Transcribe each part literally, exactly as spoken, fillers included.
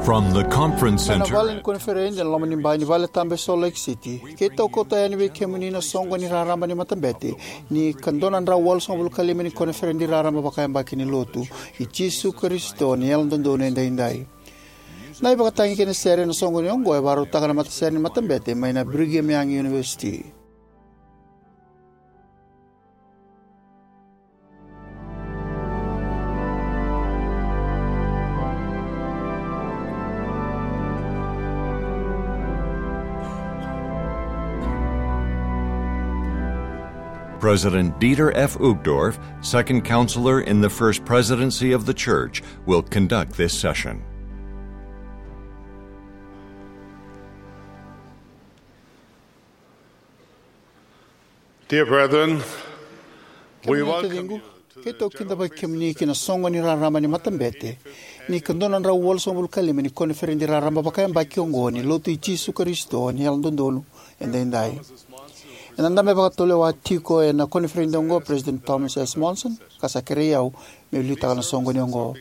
From the conference center. Mai na vale ni koniferedi ena loma ni bai ni vale tabu e Salt Lake City, keitou kauta yani vei kemuni na soqoni raraba ni matabete ni ka dua na drau walusagavulu ka lima ni koniferedi raraba vakayabaki ni Lotu i Jisu Karisito ni Yalododonu Edaidai. Na ivakatagi kei na sere ena soqoni oqo e vakarautaka na matasere ni matabete mai na Brigham Young University. President Dieter F. Uchtdorf, Second Counselor in the First Presidency of the Church, will conduct this session. Dear brethren, we welcome you to the general keitou kidavaki kemuni ki na soqoni raraba ni matabete ni ka dua na drau walusagavulu ka lima ni koniferedi raraba vakayabaki oqo ni Lotu i Jisu Karisito ni Yalododonu Edaidai. Ena dabe vakatulewa tiko ena koniferedi oqo o President Thomas S. Monson, ka sa kerei au meu liutaka na soqoni oqo.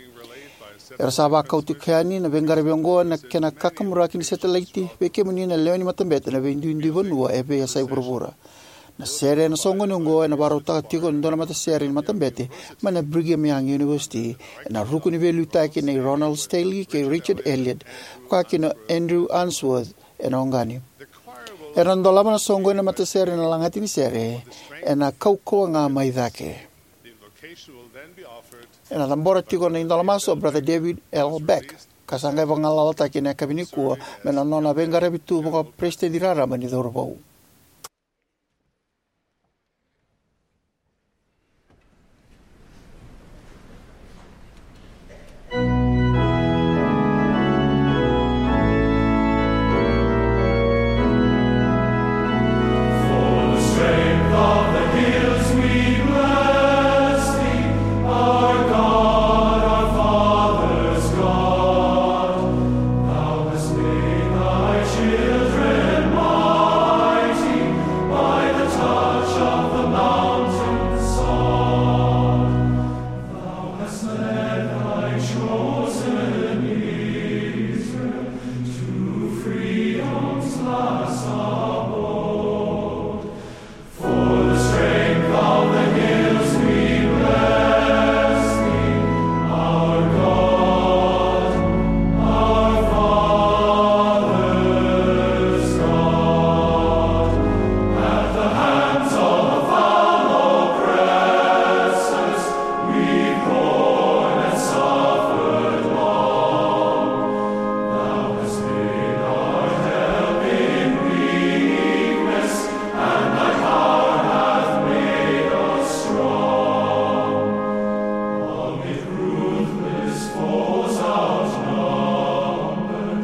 Era sa vakau tiko yani na veiqaravi oqo ena kena kakamuraki ni setelaiti vei kemuni na lewe ni matabete ena veiduidui vanua e veiyasai vuravura. Na sere ena soqoni oqo ena vakarautaka tiko e dua na matasere ni matabete mai na Brigham Young University, ena ruku ni veiliutaki nei Ronald Stanley kei Richard Elliott, vaka kina o Andrew Unsworth ena oqani. Era na dolava na soqoni na matasere ena lagati ni sere ena kaukauwa ga mai cake. Ena cabora tiko na idola masu o Brother David L. Beck, ka sa qai vagalalataki ena yakavi nikua me na nona veiqaravi tu vakaperesitedi raraba ni cauravou. Thou hast led thy chosen Israel to freedom's last abode. For the strength of the hills we bless thee, our God, our Father's God. At the hands of the foul oppressors, we've borne and suffered long. Thou hast been our help in weakness, and thy power hath made us strong. Amid ruthless foes outnumbered,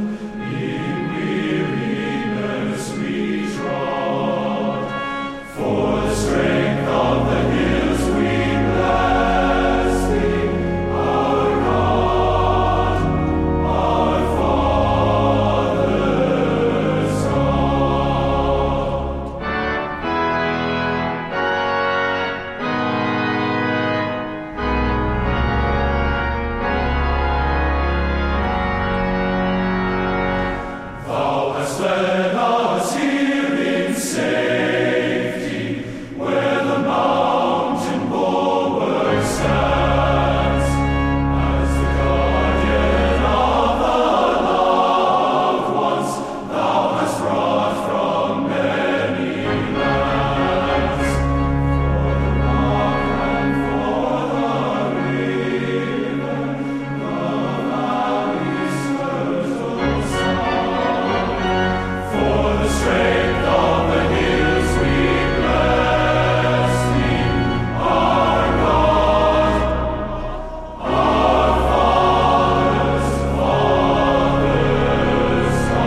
in weariness we trod. For the strength of the hills we bless thee, our God, our Father's God. Thou hast led us here in safety, where the mountain bulwark stands. As the guardian of the loved ones, thou hast brought from many lands, for the rock and for the river, the valley's fertile song. For the strength of the hills we bless thee, our God, our Father's, Father's God.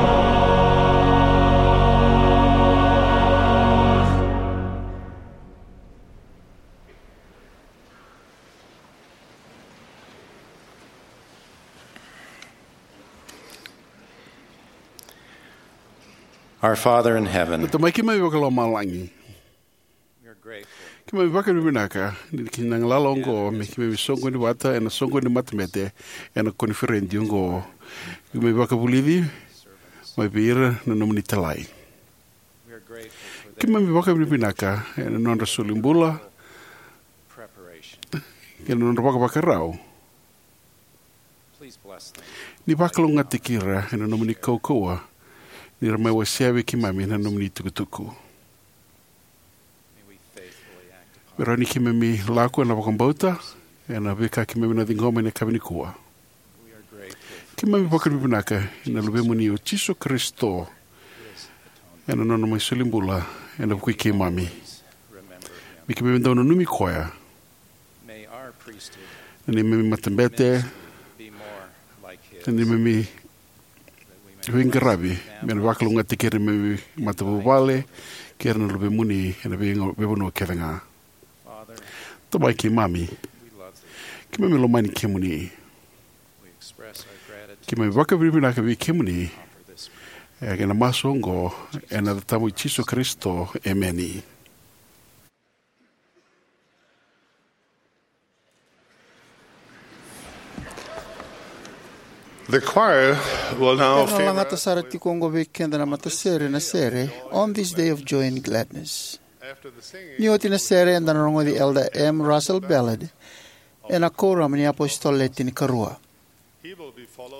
Our Father in heaven, na Tamai keimami vakalomalagi, Keimami vakavinavinaka ni kina galala oqo me keimami soqoni vata ena soqoni ni matabete ena koniferedi oqo. Keimami vakavulici mai vei ira na nomuni italai. Keimami vakavinavinaka ena nodra soli bula kei na nodra vakavakarau. Ni vakalougatataki ira ena nomuni kaukauwa ni ra mai wasea vei keimami na nomuni itukutuku. Me rawa ni keimami lako ena vakabauta ena veika keimami na ciqoma ena yakavi nikua. Keimami vakavinavinaka ena Luvemuni o Jisu Karisito ena nona mai soli bula ena vuku i keimami. Me keimami dau nanumi koya. Na neimami matabete, na neimami veiqaravi me na vakalougatataki ira na neimami matavuvale kei ira na luvemuni ena vei- veivanua kece ga. Tamai keimami, keimami lomani kemuni. Keimami vakavinavinaka vei kemuni ena masu oqo ena yaca tabu i Jisu Karisito, emeni. The choir will now Ena lagata sara tiko oqo vei keda na matasere na sere On This Day of Joy and Gladness. Ni oti na sere, eda na rogoci Elder M Russell Ballard ena Kuoramu ni iApositolo Le Tinikarua.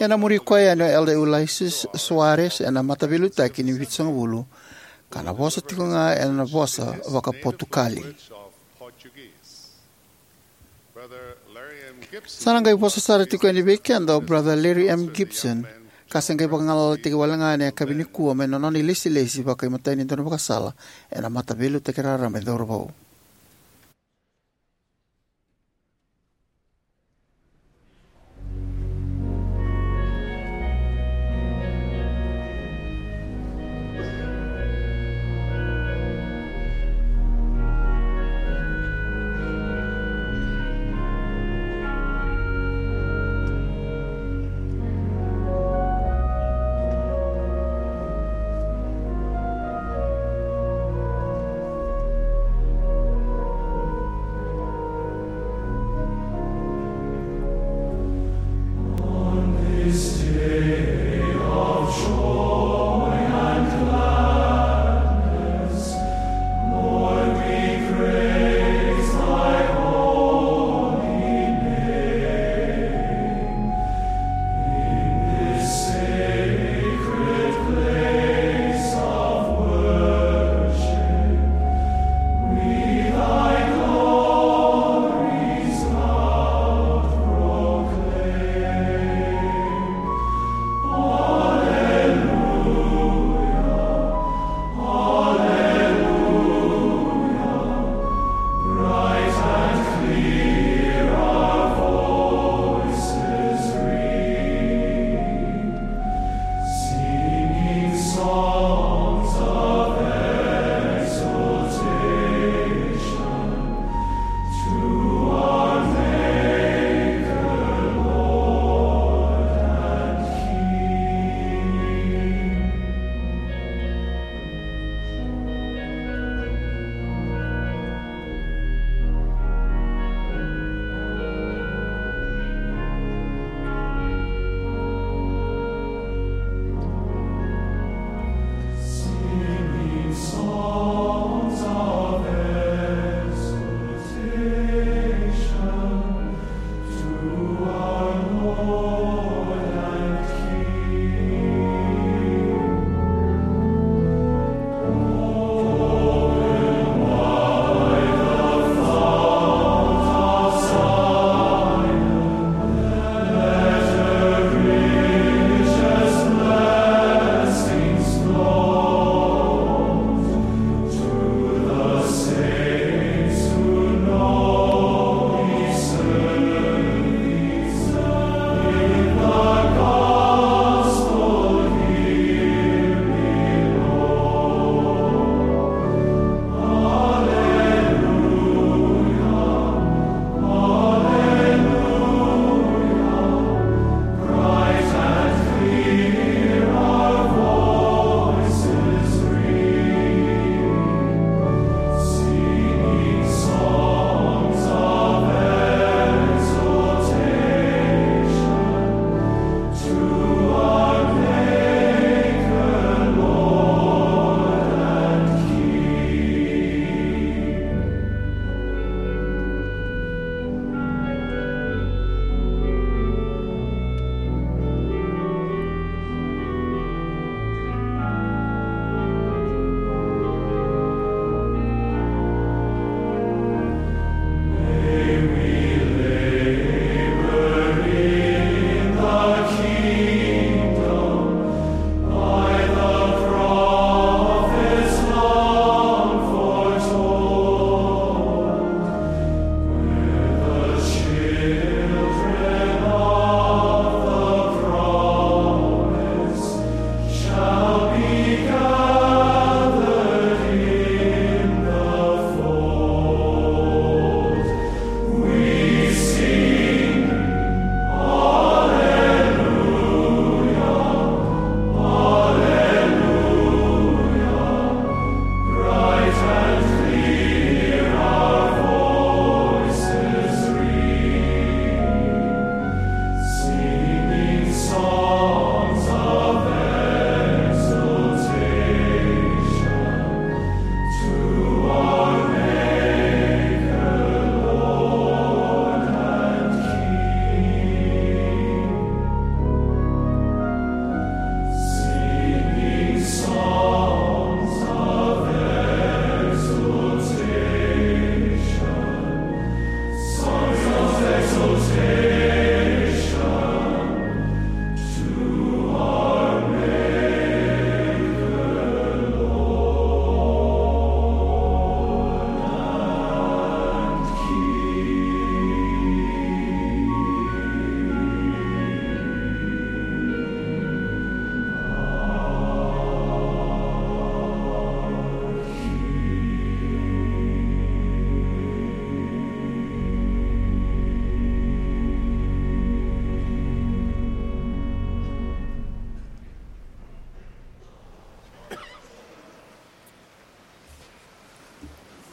Ena muri koya yani o Elder Ulisses Soares ena Mataveiliutaki ni Vitusagavulu, ka na vosa tiko ga ena vosa vakaPotukali. Sa na qai vosa sara tiko yani vei keda o Brother Larry M Gibson, ka se qai vagalalataki wale ga ena yakavi nikua mai na nona ilesilesi vakaimatai ni daunivakasala ena Mataveiliutaki Raraba e Cauravou.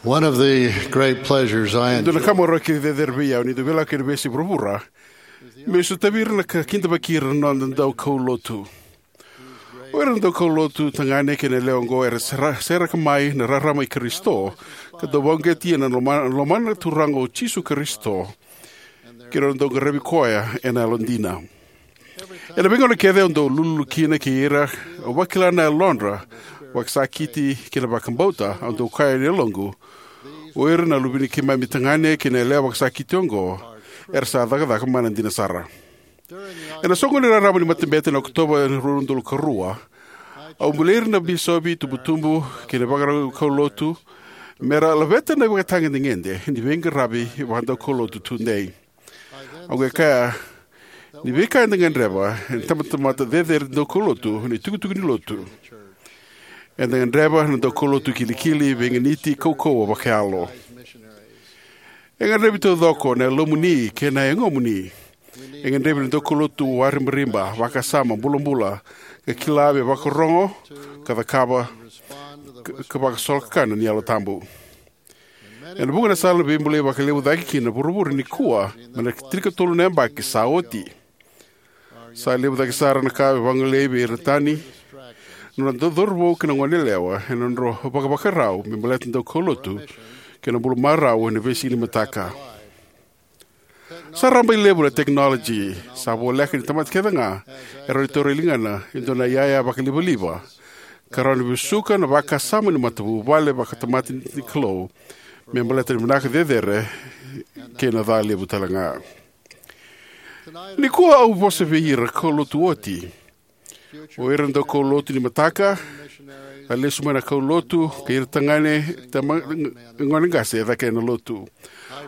One of the great pleasures I Dua na enjoy ka marau kece cecere vei au ni dau veilakoyaki ena veiyasai vuravura, meu sotavi ira na ka kidavaki ira na noda daukaulotu. O ira na daukaulotu tagane kei na yalewa oqo era sera- seraka mai na rarama i Karisito, ka dau vakauqeti ena loma- lomana na Turaga o Jisu Karisito, kei na nona dau qaravi koya ena yalodina. Ena veigauna kece au dau lululu kina kei ira, au vakila na yalodra vakasakiti kei na vakabauta, au dau kaya ena yaloqu, o ira na luve ni keimami tagane kei na yalewa vakasakiti oqo era sa cakacaka mana dina sara. Ena soqoni raraba ni matabete ena Okotova ena rua na udolu ka rua, au bolei ira na bisopi, tubutubu kei na vakarau kaulotu me ra laveta na ivakatagedegede ni veiqaravi vakadaukaulotu tudei. Au qai kaya ni veika eda gadreva ena itabatamata cecere daukaulotu na itukutuku ni lotu. Eda gadreva na daukaulotu kilikili, veiganiti, kaukauwa vakayalo. E gadrevi taucoko na yalomuni kei na yagomuni. E gadrevi na daukaulotu waribariba, vakasama, bulabula, ka kila me vakarorogo, ka cakava, ka- ka vakasolokakana ni Yalo Tabu. Ena vuqa na sala na veibolei vakalevu cake kina na vuravura nikua mai na tinikatolu na yabaki sa oti. Sa levu cake sara na ka e vagolei vei ira na tani, na noda cauravou kei na goneyalewa ena nodra vakavakarau me baleta na daukaulotu kei na bula marau ena veisiga ni mataka. Sa rabailevu na tekinoloji, sa voleka ni tamata kece ga e rawa ni taura e ligana e dua na iyaya vakalivaliva, ka rawa ni vesuka na vakasama ni matavuvale vakatamata ni Kalou me baleta na vinaka cecere kei na ca levu tale ga. Nikua au vosa vei ira kaulotu oti, o ira na daukaulotu ni mataka, a lesu mai na kaulotu, kei ira tagane, tama- gone qase e cake ena lotu.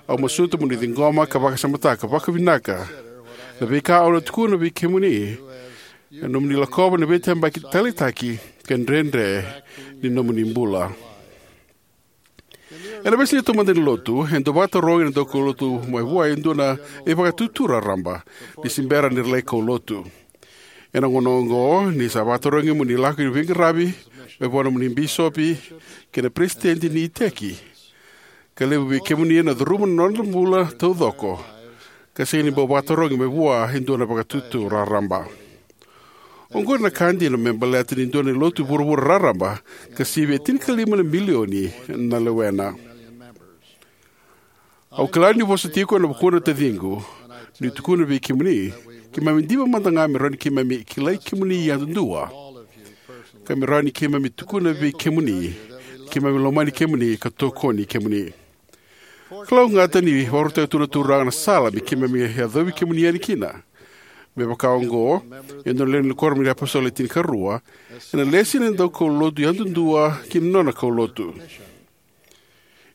Au masuta mo ni ciqoma ka vakasamataka vakavinaka na veika au na tukuna vei kemuni ena nomuni lakova na veitabaki taleitaki ka dredre ni nomuni bula. Ena veisiga taumada ni lotu, e dau vakatarogi na daukaulotu mai vua e dua na ivakatutu raraba ni se bera ni ra lai kaulotu. Ena gauna oqo, ni sa vakatarogi mo ni lako ki na veiqaravi mai vua nomuni bisopi kei na peresitedi ni iteki, ka levu vei kemuni ena curuma na noda bula taucoko ka sega ni bau vakatarogi mai vua e dua na vakatutu raraba. Oqori na ka dina me baleta ni dua na lotu vuravura raraba ka sivia tinikalima na milioni na lewena. Au kila niu vosa tiko ena vukuna na taciqu niu tukuna vei kemuni, keimami diva mada ga me rawa ni keimami kilai kemuni yadudua, ka me rawa ni keimami tukuna vei kemuni ni keimami lomani kemuni ka tokoni kemuni. Kalougata ni vakarautaka tu na Turaga na sala me keimami yacovi kemuni yani kina. Me vaka oqo, e dua na lewe ni Kuoramu ni iApositolo e tinikarua, ena lesi na daukaulotu yadudua ki na nona kaulotu.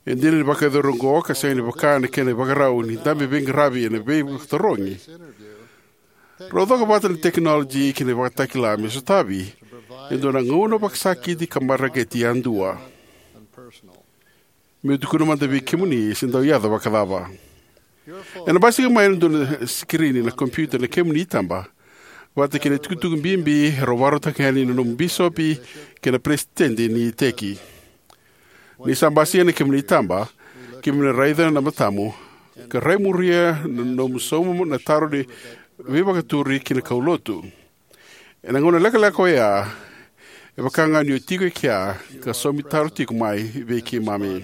E dina ni vakayacori oqo ka sega ni vaka na kena ivakarau ni dabe veiqaravi ena veivakatarogi, rau coka vata na tekinoloji kei na ivakatakila me sotavi e dua na gauna vakasakiti ka mareqeti yadua. Meu tukuna mada vei kemuni se dau yaco vakacava. Ena basika mai ena dua na sikirini na kompiuta na kemuni itaba, vata kei na itukutuku bibi e rau vakarautaka yani na nomu bisopi kei na peresitedi ni iteki. Ni sa basika na kemuni itaba, keimami na raica na matamu ka raimuria na nomu sauma na taro ni veivakaturi ki na kaulotu. Ena gauna lekaleka oya, e vaka ga ni o tiko e kea ka saumi taro tiko mai vei keimami.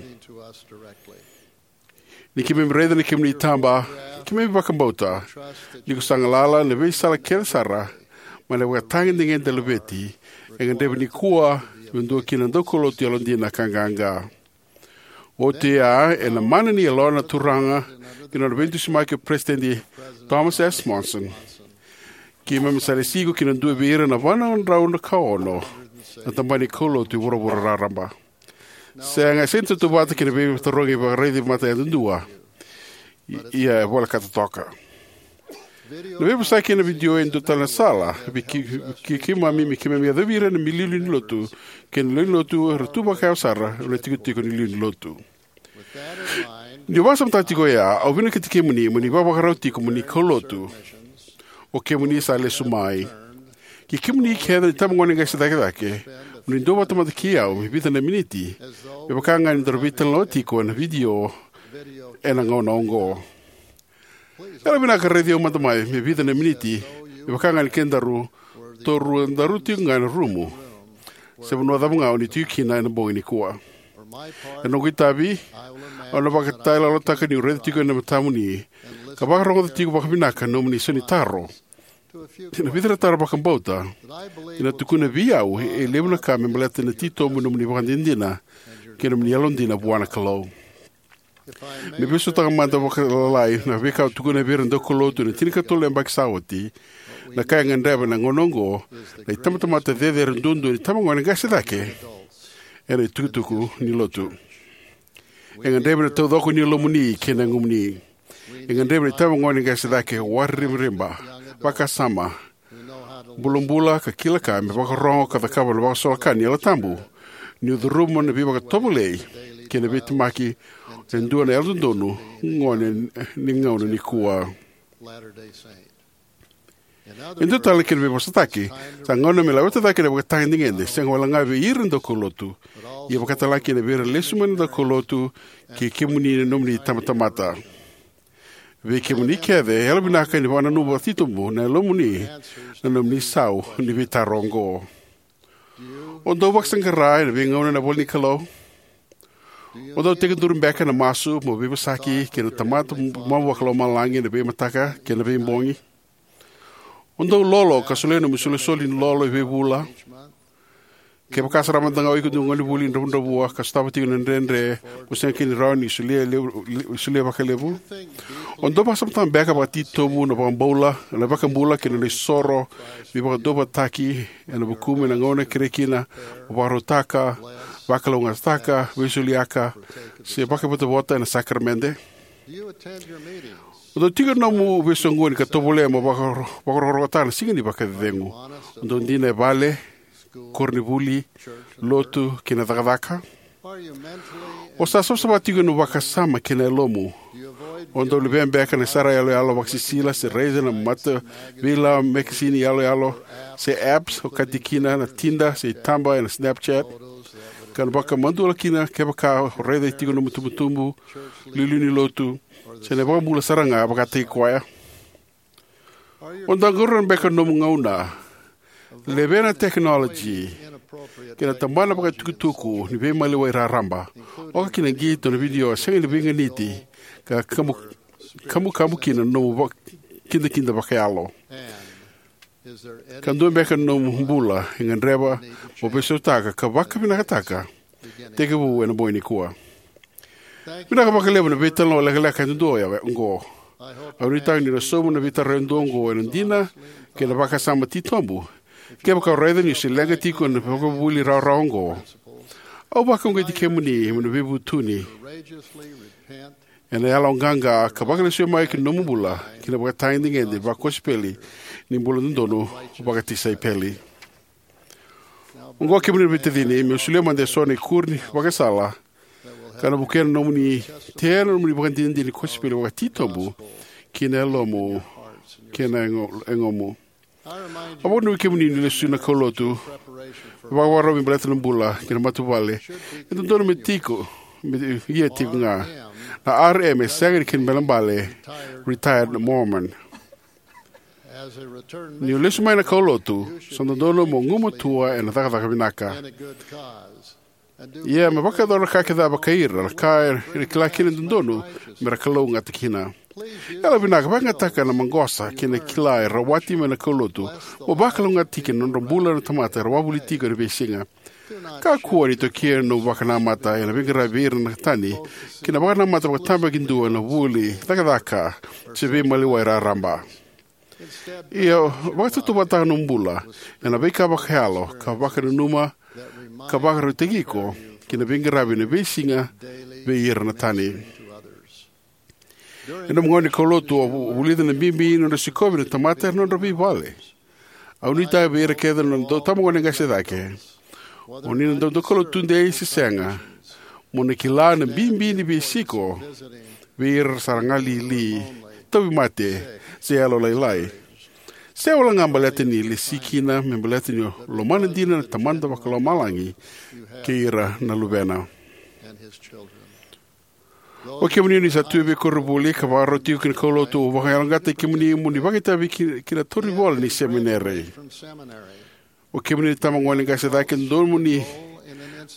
Ni keimami raica na kemuni itaba, keimami vakabauta ni ko sa galala ena veisala kece sara mai na ivakatagedegede laveti e gadrevi nikua me dua kina na daukaulotu yalodina ka qaqa. Oti oya, ena mana ni yalona na Turaga kei na nona veidusimaki o Peresitedi Thomas S. Monson, keimami sa lesi iko ki na dua vei ira na va na drau na ka ono na tabana ni kaulotu e vuravura raraba. Sega, e sega ni tautauvata kei na veivakatarogi vakaraici mata yadudua. I- ia e volekata toka. Na veivosaki ena vidio e dua tale na sala vei kei- kei- keimami me keimami yacovi ira na milioni ni lotu kei na lewe ni lotu era tu vakayawa sara ena itikotiko ni lewe ni lotu. Niu vakasamataka tiko oya, au vinakati kemuni mo ni vakavakarau tiko mo ni kaulotu. O kemuni sa lesu mai. Kei kemuni kece na itabagone qase cake cake, mo ni duavata mada kei au me vica na miniti, me vaka ga ni daru veitalanoa tiko ena vidio ena gauna oqo. Yalovinaka raici au mada mai me vica na miniti, me vaka ga ni kedaru, torua daru tiko ga ena rumu, se vanua cava ga o ni tiko kina ena bogi nikua. Ena noqu itavi, au na vakatayaloyalotaka niu raica tiko ena matamuni ka vakarogoca tiko vakavinaka na nomuni isau ni taro. Ena vica na taro vakabauta, ena tukuna vei au e levu na ka me baleta na titobu ni nomuni ivakadinadina kei na nomuni yalodina vua na Kalou. Me veisautaka mada vakalalai na veika au tukuna vei ira na daukaulotu ena tinikatolu na yabaki sa oti, na ka e gadreva ena gauna oqo na itabatamata cecere duadua ni itabagone qase cake ena itukutuku ni Lotu. E gadrevi na taucoko ni yalomuni kei na yagomuni. E gadrevi na itabagone qase cake, wariribariba, vakasama, bulabula ka kila ka me vakarogo ka cakava na vakasolokani ni Yalo Tabu, niu curuma na veivakatovolei kei na veitemaki e dua na yalododonu gone ni gauna nikua. E dua tale na kena veivosataki, sa gauna me laveta cake na ivakatagedegede, sega wale ga vei ira na daukaulotu, ia vakatalega kina vei ira lesu mai na daukaulotu kei kemuni na nomuni itabatamata. Vei kemuni kece, yalovinaka ni vakananuma vakatitobu na yalomuni na nomuni isau ni veitaro oqo. O dau vakasaqara ena veigauna ena ivolanikalou? O dau tekiduru beka ena masu mo veivosaki kei na Tamada Mamu Vakalomalagi ena veimataka kei na veibogi? O dau lolo ka solia nomu isolisoli ni lolo e veivula? Kevaka sara mada ga o iko e dua na gonevuli dravudravua ka sotava tiko na dredre mo sega kina ni rawa ni solia levu, solia vakalevu, o dau vakasamataka beka vakatitobu na vakabula, na iVakabula kei na nona isoro me vakaduavatataki ena vukumu ena gauna e kerea kina mo vakarautaka, vakalougatataka, veisoliaka, se vakaivotavota ena sakaramede? O dau tiko ena nomu veisoqoni ka tovolea mo vakaro-, vakarokorokotaka na Siga ni Vakacecegu? O dau dina e vale, koronivuli, lotu kei na cakacaka? O sa savasava tiko ena vakasama kei na yalomu? O dau levea beka na sara yaloyalo vakasisila se raica na mata veilawa, mekesini yaloyalo, se apps, okati kina na Tinder se itaba ena Snapchat, ka na vakamadua kina kevaka o raica tiko na nomu itubutubu, iliuliu ni lotu, se na iVakabula sara ga vakataki koya? O dau qarauna beka na nomu gauna, levea na tekinoloji kei na tabana vakaitukutuku ni veimaliwai raraba, oka kina na qito, na vidio sega ni veiganiti, ka kabu, kabukabu kina na nomu va-, kidakida vakayalo? Ka dua beka na nomu bula e gadreva mo veisautaka ka vakavinakataka tekivu ena bogi nikua? Vinaka vakalevu na veitalanoa lekaleka yadudua oqo. Au nuitaka ni na sauma na veitaro yadua oqo ena dina kei na vakasama titobu. Kevaka o raica ni o se leqa tiko ena ivakavuvuli rawarawa oqo, au vakauqeti kemuni mo ni veivutuni ena yaloqaqa ka vakalesuya mai ki na nomu bula ki na ivakatagedegede vakosipeli ni bula dodonu vakatisaipeli. Oqo, kemuni na veitacini, meu solia mada eso na ikuri ni vakasala ka na vukea na nomuni tea na nomuni ivakadinadina ni kosipeli vakatitobu ki na yalomu kei na yago-, yagomu. Au vakananumi kemuni ni lesu na kaulotu, vakavakarau me baleta na bula kei na matavuvale, e dodonu me tiko, me ia tiko ga. Na R M e sega ni kena ibalebale, retired Mormon. Ni o lesu mai na kaulotu, sa dodonu mo gumatua ena cakacaka vinaka. Ia me vakayacora na ka kece vakai ira, na ka era kila kina e dodonu me ra kalougata kina. Yalovinaka, vakayagataka na maqosa kei na kila e rawati mai na kaulotu mo vakalougatataki kina na nodra bula na tamata era wavoliti tiko ena veisiga. Kakua ni tokia na nomu vakanamata ena veiqaravi vei ira na tani kei na vakanamata vakatabakidua ena vuli, cakacaka, se veimaliwai raraba. Ia, vakatautauvatataka na nomu bula ena veika vakayalo ka vakananuma ka vakarautaki iko ki na veiqaravi ena veisiga vei ira na tani. Ena nomu gauna ni kaulotu, au vu-, vulica na bibi ni nodra sikovi na tamata ena nodra veivale. Au nuitaka vei ira kece na noda itabagone qase cake, o ni na dau daukaulotu tudei se sega, mo ni kila na bibi ni veisiko vei ira sa ra galili, tauvimate, se yalolailai. Se wale ga baleta ni lesi kina, me baleta ni lomana dina na Tamada Vakalomalagi kei ira na luvena. O kemuni ni sa tu vei koronivuli ka vakarau tiko ki na kaulotu, au vakayaloqaqataki kemuni mo ni vakaitavi ki, ki na tauri vola ni semineri. O kemuni na itabagone qase cake, dodonu mo ni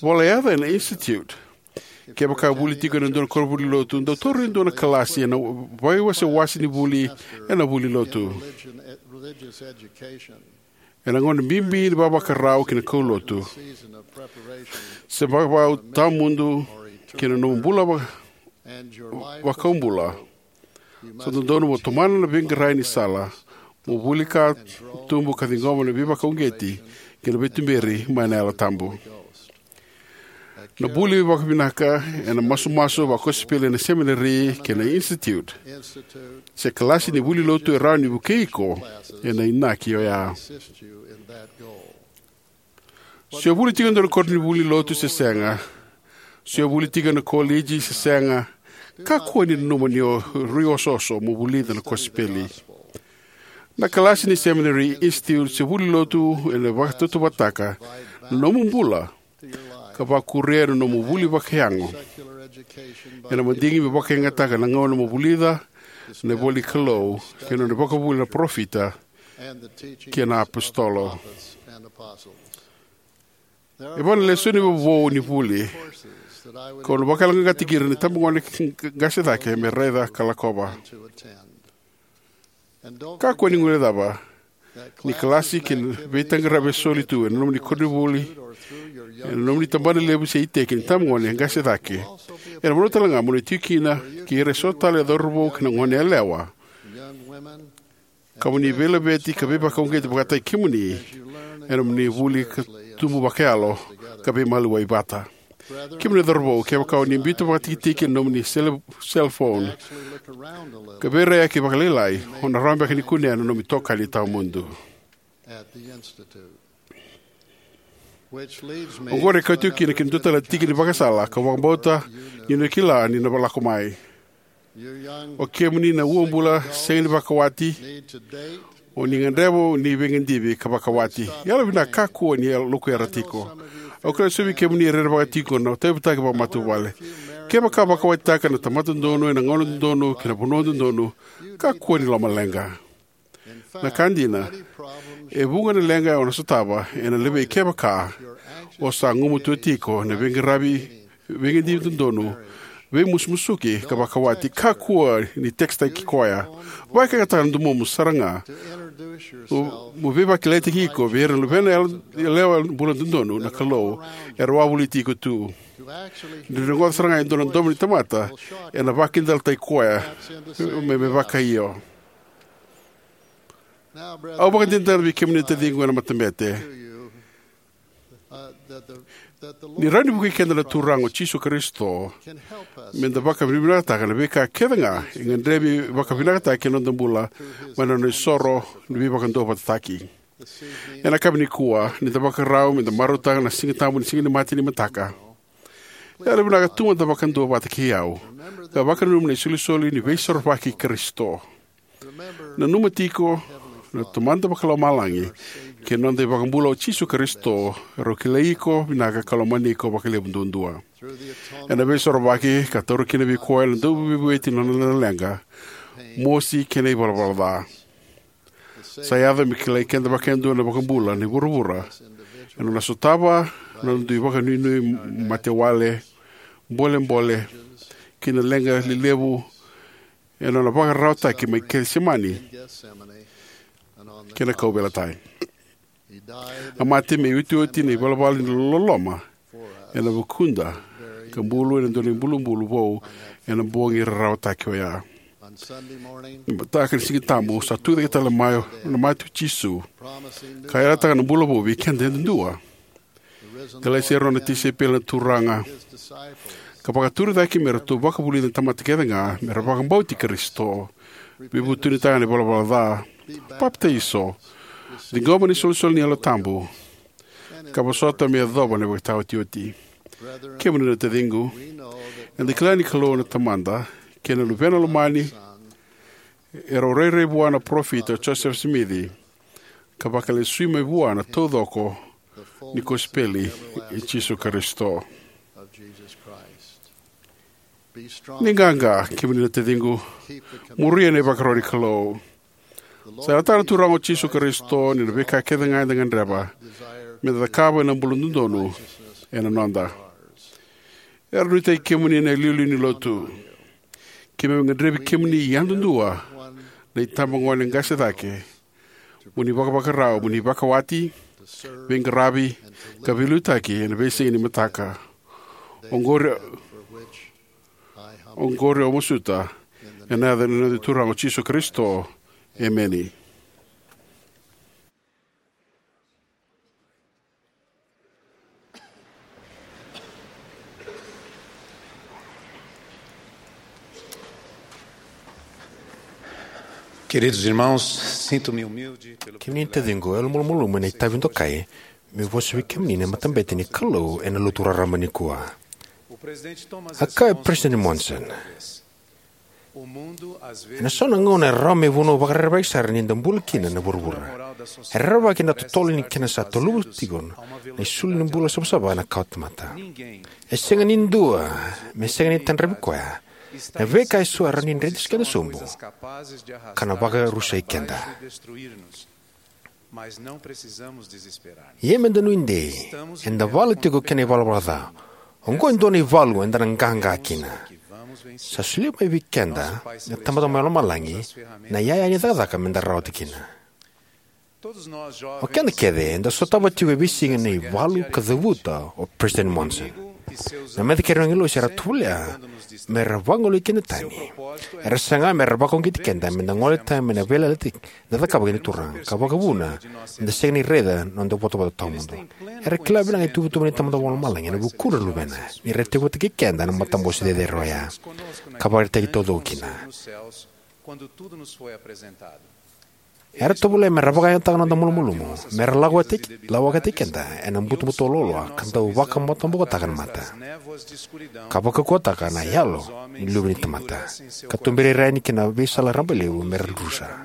vola yaca ena institute. Kevaka o vuli tiko ena dua na koronivuli lotu, dau tauri e dua na kalasi ena veiwasewase ni vuli ena vuli lotu. Ena gauna bibi ni vavakarau ki na kaulotu, se vakavau tawamudu ki na nomu bula va, vakaubula, sa dodonu mo tomana na veiqaravi ni sala mo vuli ka, tubu ka ciqoma na veivakauqeti kei na veituberi mai na Yalo Tabu. Na vuli vakavinaka ena masumasu vakosipeli ena semineri kei na institute, se kalasi ni vuli lotu e rawa ni vukei iko ena inaki oya. Se o vuli tiko e dua na koronivuli lotu se sega, se o vuli tiko ena koliji se sega, kakua ni nanuma ni o rui osooso mo vulica na kosipeli. Na kalasi ni semineri, institute, se vuli lotu ena vakatautauvatataka na nomu bula ka vakuria na nomu vuli vakayago. Ena madigi me vakayagataka na gauna mo vulica na ivola ni Kalou kei na nona ivakavuvuli na parofita kei na apositolo. E va na lesoni vovou ni vuli kau na vakayaloqaqataki ira na itabagone qase cake me raica ka lakova. Kakua ni guilecava ni kalasi kei na veitaqaravi e soli tu ena nomuni koronivuli, ena nomuni tabanalevu se iteki ni itabagone qase cake, ena vanua talega mo ni tiko kina kei ira eso tale na cauravou kei na goneyalewa, ka mo ni veilaveti ka veivakauqeti vakataki kemuni ena nomuni vuli ka tubu vakayalo ka veimaliwai vata. Kemuni na cauravou, kevaka o ni biuta vakatikitiki ena nomuni sele, cell phone ka veiraiyaki vakalailai, o na rawa beka ni kunea na nomu itokani tawamudu. Oqori e kauti au kina ki na dua tale na tiki ni vakasala kau vakabauta ni o ni kila ni na lako mai. O kemuni na uabula sega ni vakawati, o ni gadreva ni veigadivi ka vakawati. Yalovinaka, kakua ni yalo, lokuyara tiko. Au kila ni so vei kemuni e rerevaka tiko na tauyavutaki vakamatavuvale. Kevaka vakawatitaka na tamata dodonu ena gauna dodonu kei na vanua dodonu, kakua ni lomaleqa. Na ka dina, e vuqa na leqa o na sotava ena levei kevaka o sa gumatua tiko na veiqaravi, veigadivi dodonu, veimusumusuki ka vakawati. Kakua ni tekisitaki koya. Vakayagataka na domomu sara ga mo, mo veivakilaitaki iko vei ira na luvena yalewa bula dodonu na Kalou era wavoliti iko tu. Ni rogoca sara ga e dua na domo ni tamata, ena vakidalataki koya me, me vakaio. Au vakadinadina vei kemuni na taciqu ena matabete. Ni rawa ni vukei keda na Turaga o Jisu Karisito meda vakavinavinakataka na veika kece ga e gadrevi vakavinakataki ena noda bula mai na nona isoro ni veivakaduavatataki. Ena yakavi nikua, ni da vakarau meda marautaka na Siga Tabu ni Siga ni Mate ni mataka, yalovinaka tu mada vakadua vata kei au ka vakananuma na isolisoli ni Veisorovaki i Karisito. Nanuma tiko na Tamada Vakalomalagi kei na noda iVakabula o Jisu Karisito, erau kilai iko vinaka ka lomani iko vakalevu duadua. Ena Veisorovaki ka taura kina vei koya na Dauveivueti na nona leqa, mosi kei na ivalavala ca. Sa yaco me kilai keda vakayadua na iVakabula ni vuravura ena nona sotava na nona dui vakanuinui matewale, bolebole, kei na leqa lelevu ena nona vakararawataki mai Kecisemani kei na kauveilatai. A mate me iotioti na ivalavala ni loloma ena vukuda, ka bulu ena dua na ibulubulu vou ena bogi rarawataki oya. Ni mataka ni Siga Tabu, sa tucake tale mai na mate o Jisu, ka yalataka na bula vou vei keda yadudua. Kilai ira na nona tisaipeli na Turaga, ka vakaturi cake me ratou vakavulica na tamata kece ga me ra vakabauti Karisito, veivutunitaka na ivalavala ca, papitaiso, ciqoma na isolisoli ni Yalo Tabu, ka vosota me yacova na ivakataotioti. Kemuni na taciqu, eda kila ni Kalou na Tamada kei na Luvena Lomani erau rairai vua na Parofita o Josefa Simici, ka vakalesui mai vua na taucoko ni kosipeli i Jisu Karisito. Ni qaqa, kemuni na taciqu, muria na ivakaro ni Kalou. Sa yalataka na Turaga o Jisu Karisito ni na veika kece ga eda gadreva me da cakava ena bula dodonu ena noda. Era nuitaki kemuni na iliuliu ni lotu. Keimami gadrevi kemuni yadudua na itabagone qase cake mo ni vakavakarau, mo ni vakawati, veiqaravi, ka veiliutaki ena veisiga ni mataka. Oqori, oqori au masuta ena yaca ni noda Turaga o Jisu Karisito. Emeni. Queridos irmãos, sinto-me humilde pelo Kemuni na privilégio taciqu, e yalo malumalumu ena itavi dokai meu vosa vei kemuni na matabete ni Kalou ena lotu raraba nikua. A kaya o President Monson, ena so na gauna e rawa me vanua vakarerevaki sara ni da bula kina na vuravura. E rerevaki ena totolo ni kena sa tolova tiko na isulu ni bula savasava na kawa tamata. E sega ni dua me sega ni tadravi koya na veika eso e rawa ni dreti keda sobu ka na vakarusai keda. Ia me da nuidei, eda vala tiko kei na ivalavala ca. Oqo e dua na ivalu eda na qaqa kina. Sa solia mai vei keda na Tamada mai Lomalagi na iyaya ni cakacaka me da rawata kina. O keda kece eda sotava tiko e veisiga na ivalu ka cavuta o President Monson. Na meca kei ira na agilosi era tovolea me ra vagolei keda tani. Era saga me ra vakauqeti keda me da gole tani mai na veiyalayalati da cakava kei na Turaga, ka vakavuna me da sega ni raica na noda ivotavota tawamudu. Era kila vinaka na ituvatuva ni Tamada Vakalomalagi ena vukudra na Luvena ni ra teivaki keda na matabose cecere oya ka vakaraitaki taucoko kina. Era tovolea me ra vakayagataka na noda malumalumu, me ra lako vata, lako vata kei keda ena butobuto loaloa ka dau vakamatabokotaka na mata, ka vakaukauwataka na yalo ni luve ni tamata, ka tuberi ira yani ki na veisala rabailevu me ra drusa.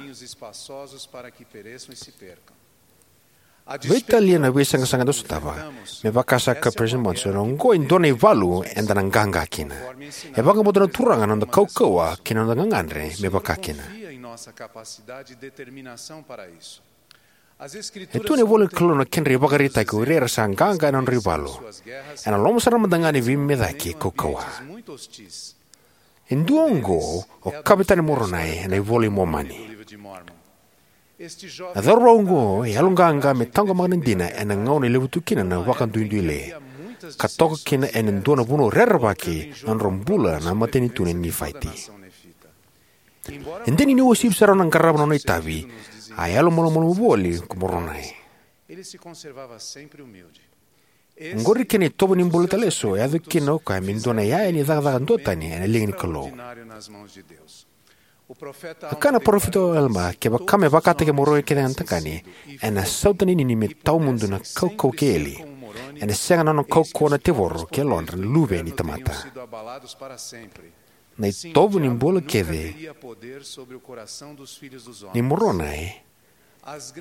Veitalia na veisaqasaqa eda sotava, me vaka sa kaya o President Monson, oqo e dua na ivalu eda na qaqa kina. E vakabauta na Turaga na noda kaukauwa kei na noda gagadre me vaka kina. E tu ena ivola ni Kalou na kedra ivakaraitaki o ira era sa qaqa ena nodra ivalu. Ena loma sara mada ga ni veimecaki kaukauwa. E dua oqo o Kavetani Moronai ena iVola i Momani. Na cauravou oqo e yaloqaqa me taqomaka na dina ena gauna e levu tu kina na vakaduiduile, ka toka kina ena dua na vanua rerevaki na nodra bula na matanitu na Nifaiti. E dina ni uasivi sara na qarava na nona itavi, a yalo malumalumu voli ko Moronai. Oqori kena itovo ni bula tale eso e yaco kina o koya me dua na iyaya ni cakacaka duatani ena liga ni Kalou. A kaya na parofita o Alama, kevaka me vakataki Moronai kece ga na tagane, ena sautaninini me tawamudu na kaukauwa kei Eli. Ena sega na nona kaukauwa na tevoro kei yalodra na luve ni tamata. Na itovo ni bula kece ni Moronai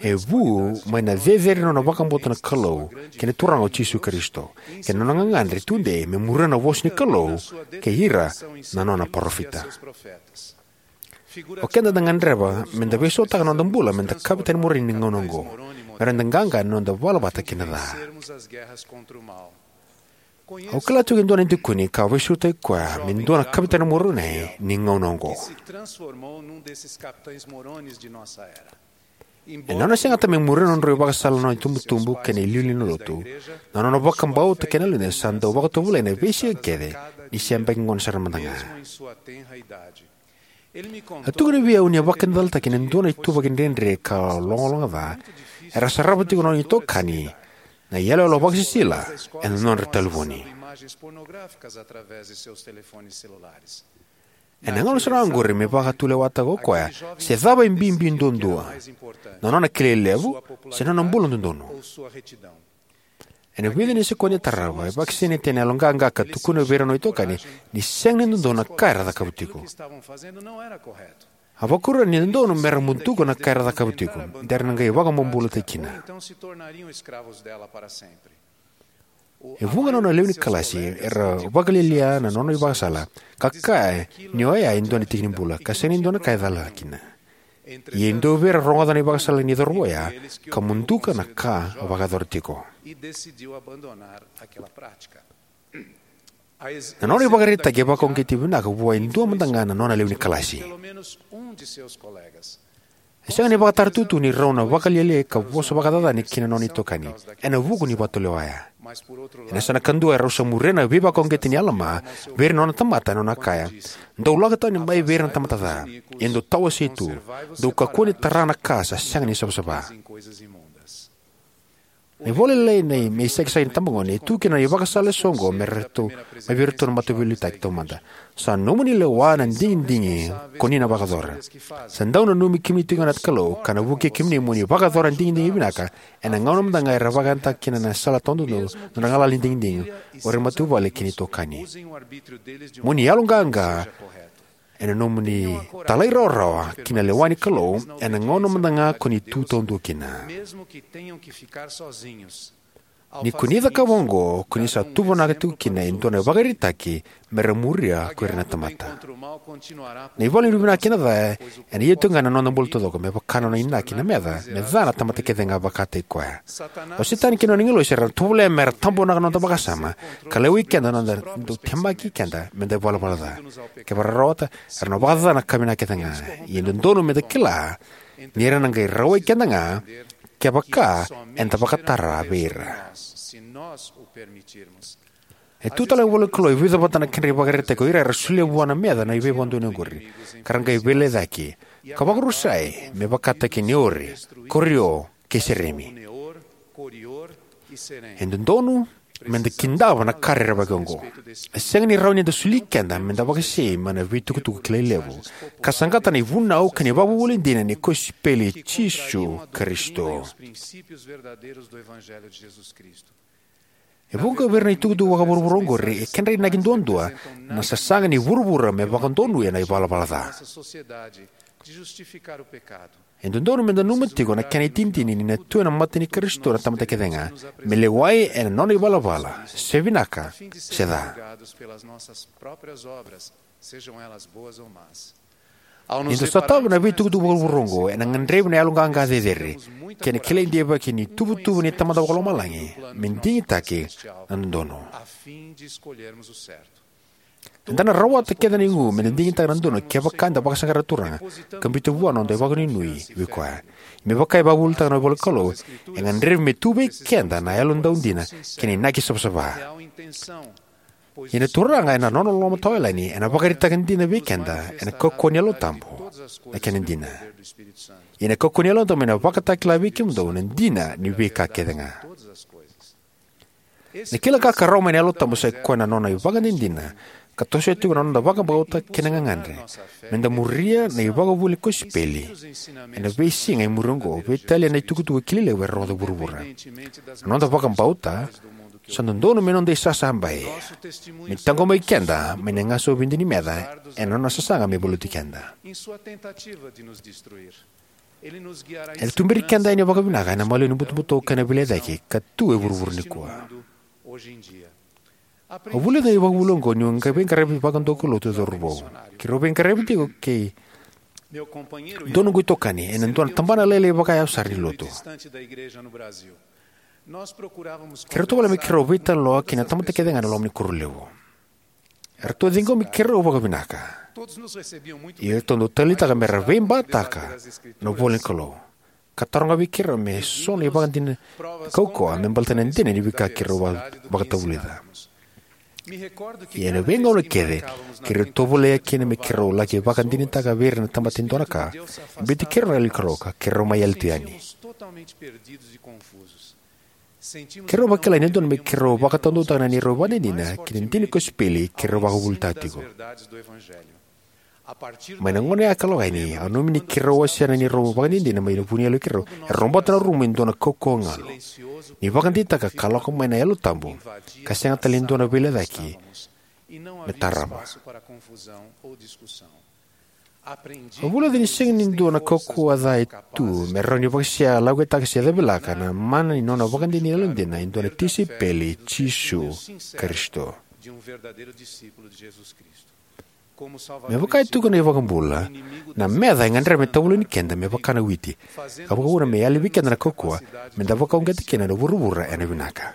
e vu mai na cecere ni nona vakabauta na Kalou kei na Turaga o Jisu Karisito, kei na nona gagadre tudei me muria na vosa ni Kalou kei ira na nona parofita. O keda da gadreva me da veisautaka na noda bula me da Kavetani Moronai ni gauna oqo, me ra da qaqa ena noda vala vata kei na ca. Au kila tiko e dua na dikoni ka veisautaki koya me dua na Kavetani Moronai ni gauna oqo. Ena nona segata me muria na nodra ivakasala na nona itubutubu kei na iliuliu ni lotu, na nona vakabauta kei na loloma sa dau vakatovolei ena veisiga kece ni se yabaki gone sara mada ga. A tukuna vei au ni a vakakidalataki ena dua na ituvaki dredre ka logaloga ca, era sarava tiko na nona itokani na iyaloyalo vakasisila ena nodra talevoni. Ena gauna sara ga oqori me vakatulewataka o koya se cava e bibi duadua, na nona kilai levu se na nona bula dodonu. Ena vica na sekodi e tarava, e vakasinaita ena yaloqaqa ka tukuna vei ira na nona itokani ni sega ni dodonu na ka era cakava tiko. A vakuria ni dodonu me ra muduka na ka era cakava tiko, de ra na qai vakabobulataki kina. E vuqa na nona lewe ni kalasi era vakalialia na nona ivakasala, ka kaya ni oya e dua na tiki ni bula ka sega ni dua na ka e cala kina. Ia e dua vei ira era rogoca na ivakasala ni cauravou oya ka muduka na ka a vakayacora tiko. Na nona ivakaraitaki e vakauqeti vinaka vua e dua mada ga na nona lewe ni kalasi. E sega ni vakatara tutu ni rau na vakalialiai ka vosa vakacacani ki na nona itokani ena vuku ni vakatulewa oya. Ena yasana kadua, erau sa muria na veivakauqeti nei Alama vei ira na nona tamata, ena nona kaya: "Dou lako tani mai vei ira na tamata ca, ia dou tawasei tu, dou kakua ni tara na ka sa sega ni savasava." Na ivola lailai nei Me Isakisaki na iTabagone e tu kina na ivakasala eso oqo me ratou, mai vei iratou na mataveiliutaki taumada: "Sa nomuni lewa na digidigi ko ni na vakayacora. Sa dau nanumi kemuni tiko ga na Kalou, ka na vukei kemuni mo ni vakayacora na digidigi vinaka ena gauna mada ga era vakayagataka kina na sala tawadodonu na nodra galala ni digidigi, o ira na matavuvale kei na itokani. Mo ni yaloqaqa ena nomuni talairawarawa ki na lewa ni Kalou ena gauna mada ga ko ni tu taudua kina. Ni ko ni cakava oqo, ko ni sa tuvanaka tiko kina e dua na ivakaraitaki me ra muria ko ira na tamata." Na ivalu ni vinaka kei na ca ena ia tiko ga ena noda bula taucoko, me vaka na nona inaki na meca me ca na tamata kece ga vakataki koya. O Setani kei na nona agilosi era na tovolea me ra tabonaka na noda vakasama ka lewai keda na noda dau temaki keda me da ivalavala ca. Kevaka era rawata, era na vakacaca na ka vinaka kece ga. Ia e dodonu me da kila ni era na qai rawai keda ga kevaka eda vakatara vei ira. E tu tale na ivola ni Kalou e vica vata na kedra ivakaraitaki o ira era solia vua na meca na veivakadonui oqori, ka ra qai veilecayaki ka vakarusai, me vakataki Neori, Korio, kei Seremi. E dodonu me da kidava na ka rerevaki oqo. E sega ni rawa ni da soli keda me da vakasei mai na veitukutuku kilai levu, ka saqata na ivunau kei na ivakavuvuli dina ni kosipeli i Jisu Karisito. E vuqa vei ira na itukutuku vakavuravura oqori e kedra inaki duadua na sasaga ni vuravura me vakadonuya na ivalavala ca. E dodonu me da nanuma tiko na kena itinitini ni na tu ena mata ni Karisito na tamata kece ga, me lewai ena nona ivalavala, se vinaka se ca. Ni da sotava na veitukutuku vakavuravura oqo, ena gadrevi na yaloqaqa cecere kei na kilai deivaki ni ituvatuva ni Tamada Vakalomalagi me digitaki na dodonu. Eda na rawata kece na igu me da digitaka na dodonu kevaka eda vakasaqara na Turaga ka biuta vua na noda vakanuinui vei Koya. Me vaka e vakavuvulitaka na ivolanikalou, e gadrevi me tu vei keda na yalodina kei na inaki savasava. Ia na Turaga ena nona loloma tawayalani ena vakaraitaka dina vei keda ena kaukauwa ni Yalo Tabu na kena dina. Ia na kaukauwa ni Yalo Tabu ena vakatakila vei kemudou na dina ni veika kece ga. Na kila ka ka rawa mai na Yalo Tabu sai koya na nona ivakadinadina ka tosoya tiko na noda vakabauta kei na gagadre me da muria na ivakavuvuli ni kosipeli ena veisiga e muri oqo, veitalia na itukutuku kilai levu era rogoca e vuravura. Na noda vakabauta sa dodonu me noda isasabai, me taqomaki keda mai na gasau vidinimeca ena nona sasaga me valuti keda. Ena tuberi keda yani vakavinaka ena maliwa ni butobuto kei na veilecayaki ka tu e vuravura nikua. Au vulica na ivakavuvuli oqo niu veiqaravi vakadonuya lotu e cauravou. Keirau veiqaravi tiko kei dua noqu itokani ena dua na tabana lailai vakayawa sara ni lotu. Keirau tovolea me keirau veitalanoa kei na tamata kece ga ena loma ni koro levu. Eratou ciqomi keirau vakavinaka. Ia eratou dau taleitaka me ra veibataka na ivolanikalou ka taroga vei keirau me so na ivakadinadina kaukauwa me baleta na dina ni veika keirau va- vakatavulica. Ia ena veigauna kece keirau tovolea kina me keirau laki vakadinadinataka vei ira na tamata e dua na ka e biuti keirau na Yalo ni Kalou ka keirau mai yali tu yani. Keirau vakila ni dodonu me keirau vakataudautaka na neirau ivakadinadina ki na dina ni kosipeli keirau vakavuvulitaka tiko. Mai na gauna ya ka lako yani, au nanuma ni keirau wasea na neirau ivakadinadina mai vuniyalo i keirau, e robota na rumu e dua na kaukauwa galu ni vakadinadinataka ka lako mai na Yalo Tabu, ka sega tale ni dua na veilecayaki me tarava. Au vulica ni sega ni dua na kaukauwa ca e tu me rawa ni vakasia, lagutaka se cavilaka na mana ni nona vakadinadina e dua na tisaipeli i Jisu Karisito. Me vaka e tukuna na iVakabula, na meca e gadreva me tavuloni keda me vaka na witi, ka vakauna me yali vei keda na kaukauwa me da vakauqeta kina na vuravura ena vinaka.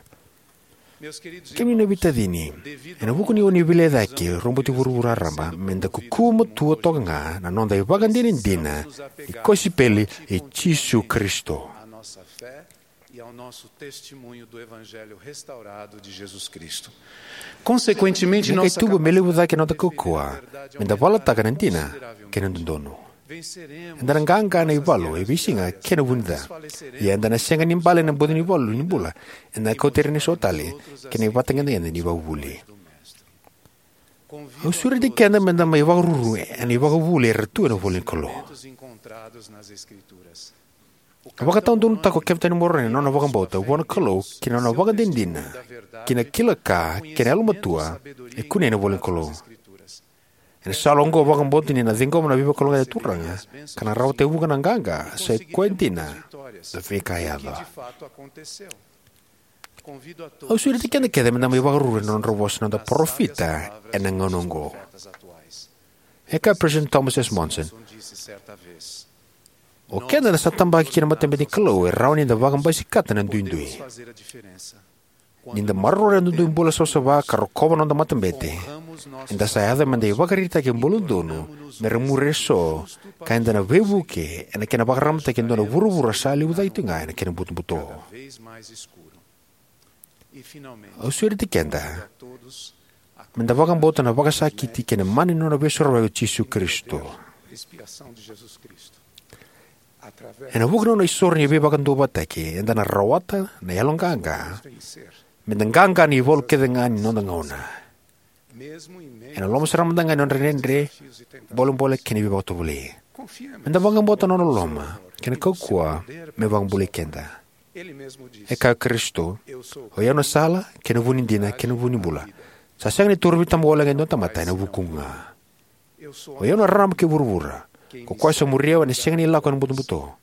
Kemuni na veitacini, ena vuku ni oni veilecayaki, roboti vuravura raraba, me da kukuva matua toka ga na noda ivakadinadina ni kosipeli i Jisu Karisito. Ni qai tubu me levu cake na noda kaukauwa me da valataka na dina kei na dodonu. Eda na qaqa ena ivalu e veisiga kei na vunica. Ia eda na sega ni bale ena bogi ni valu ni bula eda na kauta ira eso tale ki na ivakatagedegede ni ivakavuvuli. Au sureti keda me da mai vakaruru ena ivakavuvuli era tu ena ivola ni Kalou. A vakatawadonutaka o Kevin Tani Moroni na nona vakabauta vua na Kalou kei na nona vakadinadina ki na kila ka kei na yalomatua e kunei ena ivola ni Kalou. Ena sala oqo, au vakabauta ni na ciqoma na veivakalougatataki ni Turaga ka na rawata e vuqa na qaqa, sa i koya dina na veika e yaco. Au sureti keda kece me da mai vakaruru ena nodra vosa na noda parofita ena gauna oqo. E kaya o Peresitedi Thomas S. Monson, o keda na sa tabaki ki na matabete ni Kalou e rawa ni da vakabasikata na duidui. Ni da maroroya na dodonu ni bula savasava ka rokova na noda matabete, eda sa yaco me da ivakaraitaki e bula dodonu me ra muri eso, ka eda na veivuke ena kena vakaramataki e dua na vuravura sa levu cake tiko ga ena kena butobuto. Au sureti keda me da vakabauta na vakasakiti kei na mana ni nona Veisorovaki o Jisu Karisito. Ena vuku ni nona isoro ni veivakaduavatataki, eda na rawata na yaloqaqa me da qaqa ena ivalu kece ga ni noda gauna, ena loma sara mada ga ni nodra dredre, bolebole kei na veivakatovolei. Me da vakabauta na nona loloma kei na kaukauwa me vakabulai keda. E kaya o Karisito, "O i au na sala, kei na vu ni dina, kei na vu ni bula. Sa sega ni torovi tama walega e dua na tamata ena vukuqu ga. O i au na rarama kei vuravura. Ko koya sa muri au ena sega ni lako ena butobuto.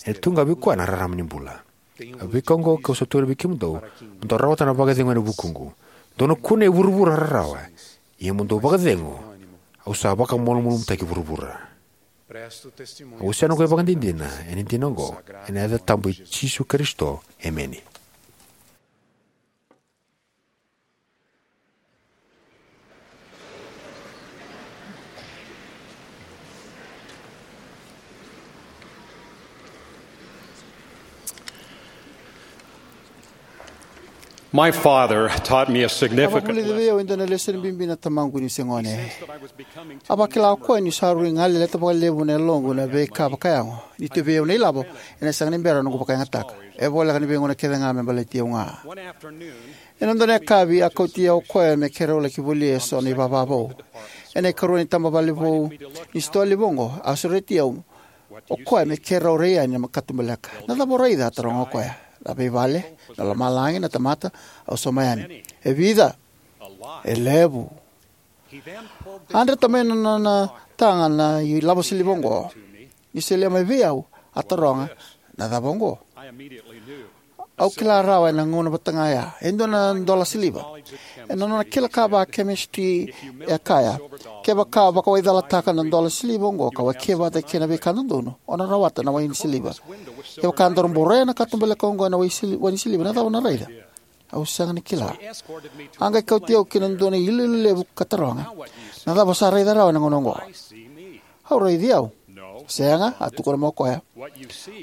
Ena tu ga vei koya na rarama ni bula. A veika oqo kau sa tukuna vei kemudou, mo dou rawata na vakacegu ena vukuqu. Dou na kunea e vuravura rarawa, ia mo dou vakacegu, au sa vakamalumalumutaki vuravura." Au wasea noqu ivakadinadina ena dina oqo ena yaca tabu i Jisu Karisito, emeni. My father taught me a significant lesson. Vakavulica vei au e dua na lesoni bibi na tamaqu niu se gone. A vakila o koya niu sa rui galeleta vakalevu na yaloqu na veika vakayago. Ni tu vei au na ilavo, ena sega ni bera noqu vakayagataka. E voleka ni veigauna kece ga me baleti au ga. Ena dua na yakavi, a kauti au o koya me keirau laki volia eso na ivava vou. Ena ikarua ni tabavale vou ni sitoa levu oqo, a sureti au o koya me keirau rai yani na katubaleka. "Na cava o raica?" a taroga o koya. "Na veivale, na lomalagi, na tamata," au sauma yani. "E vica?" "E levu." A dreta mai na nona taga na ilavo siliva oqo. Ni solia mai vei au, a taroga, "Na cava oqo?" Au kila rawa ena gauna vata ga ya, e dua na dola siliva. Ena nona kila ka vakakemisitiri e kaya, "Kevaka o vakawaicalataka na dola siliva oqo ka wakia vata kei na veika dodonu, o na rawata na wai ni siliva. Kevaka daru boroya na katubaleka oqo ena wai sili-, wai ni siliva, na cava o na raica?" Au sega ni kila. A qai kauti au ki na dua na iloilo levu ka taroga, "Na cava o sa raica rawa ena gauna oqo?" "Au raici au." "Sega," a tukuna mai o koya.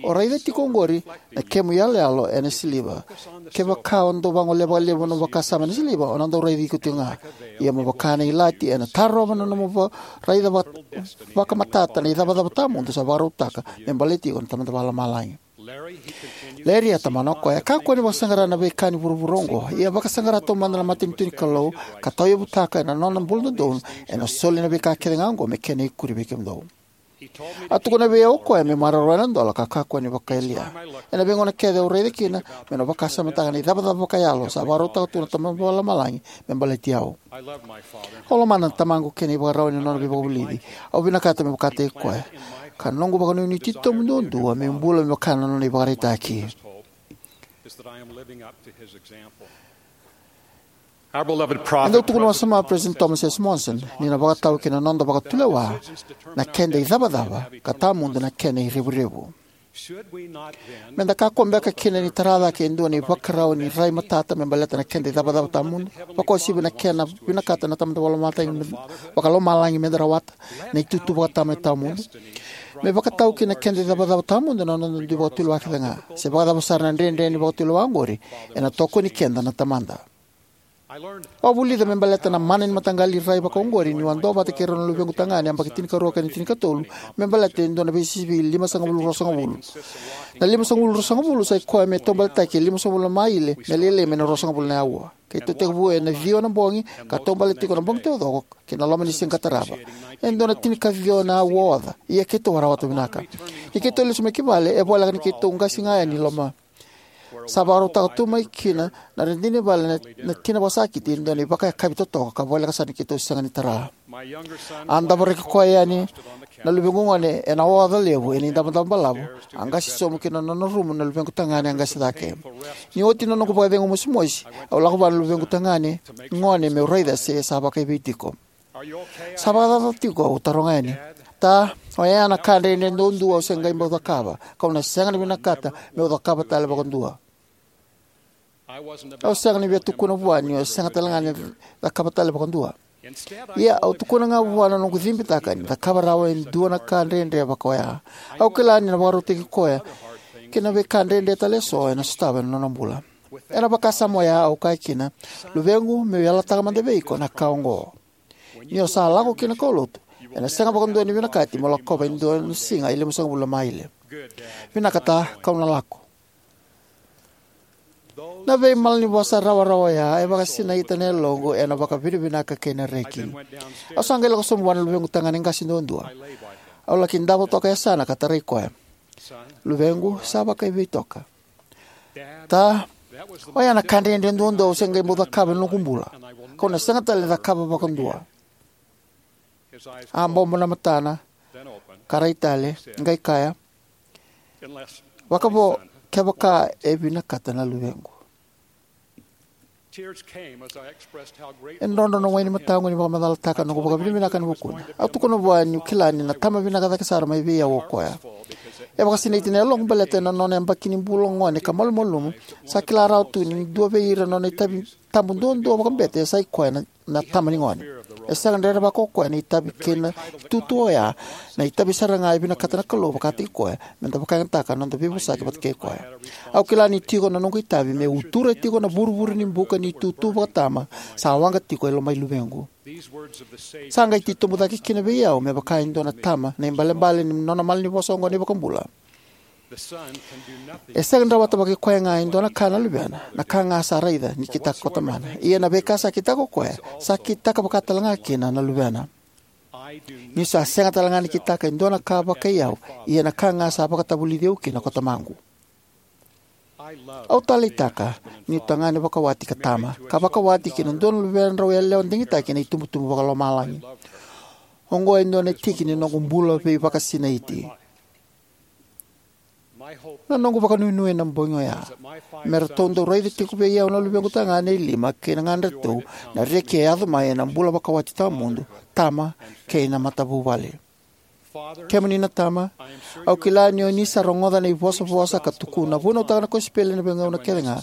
"O raica tiko oqori na kemu iyaloyalo ena siliva. Kevaka o dau vagolea vakalevu na nomu vakasama ena siliva, o na dau raici iko tiko ga. Ia mo vaka na ilati, ena tarova na nomu va-, raica va-, vakamatata na icavacava tawamudu sa vakarautaka me baleti iko na Tamada Vakalomalagi." Larry, a tomana o koya, "Kakua ni vakasaqara na veika ni vuravura oqo. Ia vakasaqara taumada na matanitu ni Kalou, ka tauyavutaka ena nona bula dodonu, ena soli na veika kece ga oqo me kena ikuri vei kemudou." A tukuna vei au o koya meu maroroya na dola ka kakua ni vakayalia. Ena veigauna kece au raica kina meu na vakasamataka na icavacava vakayalo sa vakarautaka tu na Tamada Vakalomalagi me baleti au. Au lomana na tamaqu kei na ivakarau ni nona veivakavulici. Au vinakata meu vakataki koya, ka noqu vakanuinui titobu duadua meu bula me vaka na nona ivakaraitaki. Is that I am living up to his example. Our beloved E dau prophet, tukuna wasoma o President Thomas S. Monson ni na vakatau ki na noda vakatulewa na keda icavacava ka tawamudu na kena irevurevu. Should we not then Me da kakua beka kina ni tara cake e dua na ivakarau ni rai matata me baleta na keda icavacava tawamudu, vakauasivi na kena vinakata na Tamada Vakalomalagi, Vakalomalagi me da rawata na itutu vakatama e tawamudu? Me vakatau ki na keda icavacava tawamudu na noda dui vakatulewa kece ga. Se vakacava sara na dredre ni vakatulewa oqori, ena tokoni keda na Tamada. Au a vulica me baleta na mana ni mataqali rai vakaoqori niu a duavata kei rau na luvequ tagane yabaki tinikarua kei na tinikatolu me baleta e dua na veisivi limasagavulu ruasagavulu. Na limasagavulu ruasagavulu sa i koya me taubaletaki e limasagavulu na maile me lailai mai na ruasagavulu na aua. Keitou tekivu ena ciwa na bogi ka taubaleti tiko na bogi taucoko ki na loma ni siga ka tarava. E dua na tinikaciwa na aua oca, ia keitou a rawata vinaka. Ni keitou lesu mai ki vale, e voleka ni keitou qasi ga yani i loma. Sa vakarautaka tu mai kina na radini vale na, na tina vakasakiti e dua na ivakayakavi totoka ka voleka sara ni keitou sega ni tara. A davoraki koya yani na luvequ gone ena oca levu ena idavodavo balavu, a qasi sobu ki na nona rumu na luvequ tagane a qasi cake. Ni oti na noqu vakacegu mosimosi, au lako vua na luvequ tagane gone meu raica se sa vakaivei tiko. Sa vakacava tiko? Au taroga yani. Ta, oya na ka dredre duadua au se qai bau cakava, kau na sega ni vinakata meu cakava tale vakadua. Au sega ni via tukuna vua niu sega tale ga ni cakava tale vakadua. Ia au tukuna ga vua na noqu cibitaka ni cakava rawa e dua na ka dredre vaka oya. Au kila ni na vakarautaki koya ki na veika dredre tale eso ena sotava ena nona bula. Ena vakasama oya au kaya kina, luvequ, meu yalataka mada vei iko na ka oqo. Ni o sa lako ki na kaulotu, ena sega vakadua ni vinakati mo lakova e dua na siga e limasagavulu na maile. Vinaka ta, kau na lako. Na veimalanivosa rawarawa oya e vakasinaita na yaloqu ena vakavinavinaka kei na reki. Au sa qai lako sobu vua na luvequ tagane qase duadua. Au laki davo toka e yasana ka tarai koya. Luvequ, sa vakaivei toka? Ta, oya na ka dredre duadua au se qai bau cakava ena noqu bula, kau na sega tale ni cakava vakadua. A bobo na matana, ka rai tale, qai kaya, vakavo, kevaka e vinakata na luvequ. E drodro na wai ni mataqu ni vakamacalataka na noqu vakavinavinaka ena vukuna. Au tukuna vua niu kila ni na tama vinaka cake sara mai vei au o koya. E vakasinaiti na yaloqu baleta ena nona yabaki ni bula gone ka malumalumu, sa kila rawa tu ni dua vei ira na nona itavi tabu duadua vakabete sa i koya na, na tama ni gone. E sega ni rerevaka o koya na itavi kei na itutu oya, na itavi sara ga e vinakata na Kalou vakataki koya, me da vakayagataka na noda veivosaki vata kei koya. Au kila ni tiko na noqu itavi me utura tiko na vuruvuru ni buka ni itutu vakatama sa waqa tiko e lomai luvequ. Sa qai titobu cake kina vei au me vaka e dua na tama na ibalebale ni nona malanivosa oqo na iVakabula. E sega ni rawata vakaikoya ga e dua na ka na luvena, na ka ga sa raica ni kitaka ko tamana. Ia na veika sa kitaka ko koya, sa kitaka vaka tale ga kina na luvena. Niu sa sega tale ga ni kitaka e dua na ka vakai au, ia na ka ga sa vakatavulici au kina ko tamaqu. Au taleitaka niu tagane vakawati ka tama, ka vakawati kei na dua na luvedrau yalewa digitaki ena itubutubu vakalomalagi. Oqo e dua na tiki ni noqu bula veivakasinaiti. Na noqu vakanuinui ena bogi oya me ratou dau raica tiko vei au na luvequ tagane e lima kei na ganedratou na reki e yaco mai ena bula vakawati tawamudu, tama, kei na matavuvale. Kemuni na tama, au kila ni o ni sa rogoca na ivosavosa ka tukuna, vunautaka na kosipeli ena veigauna kece ga,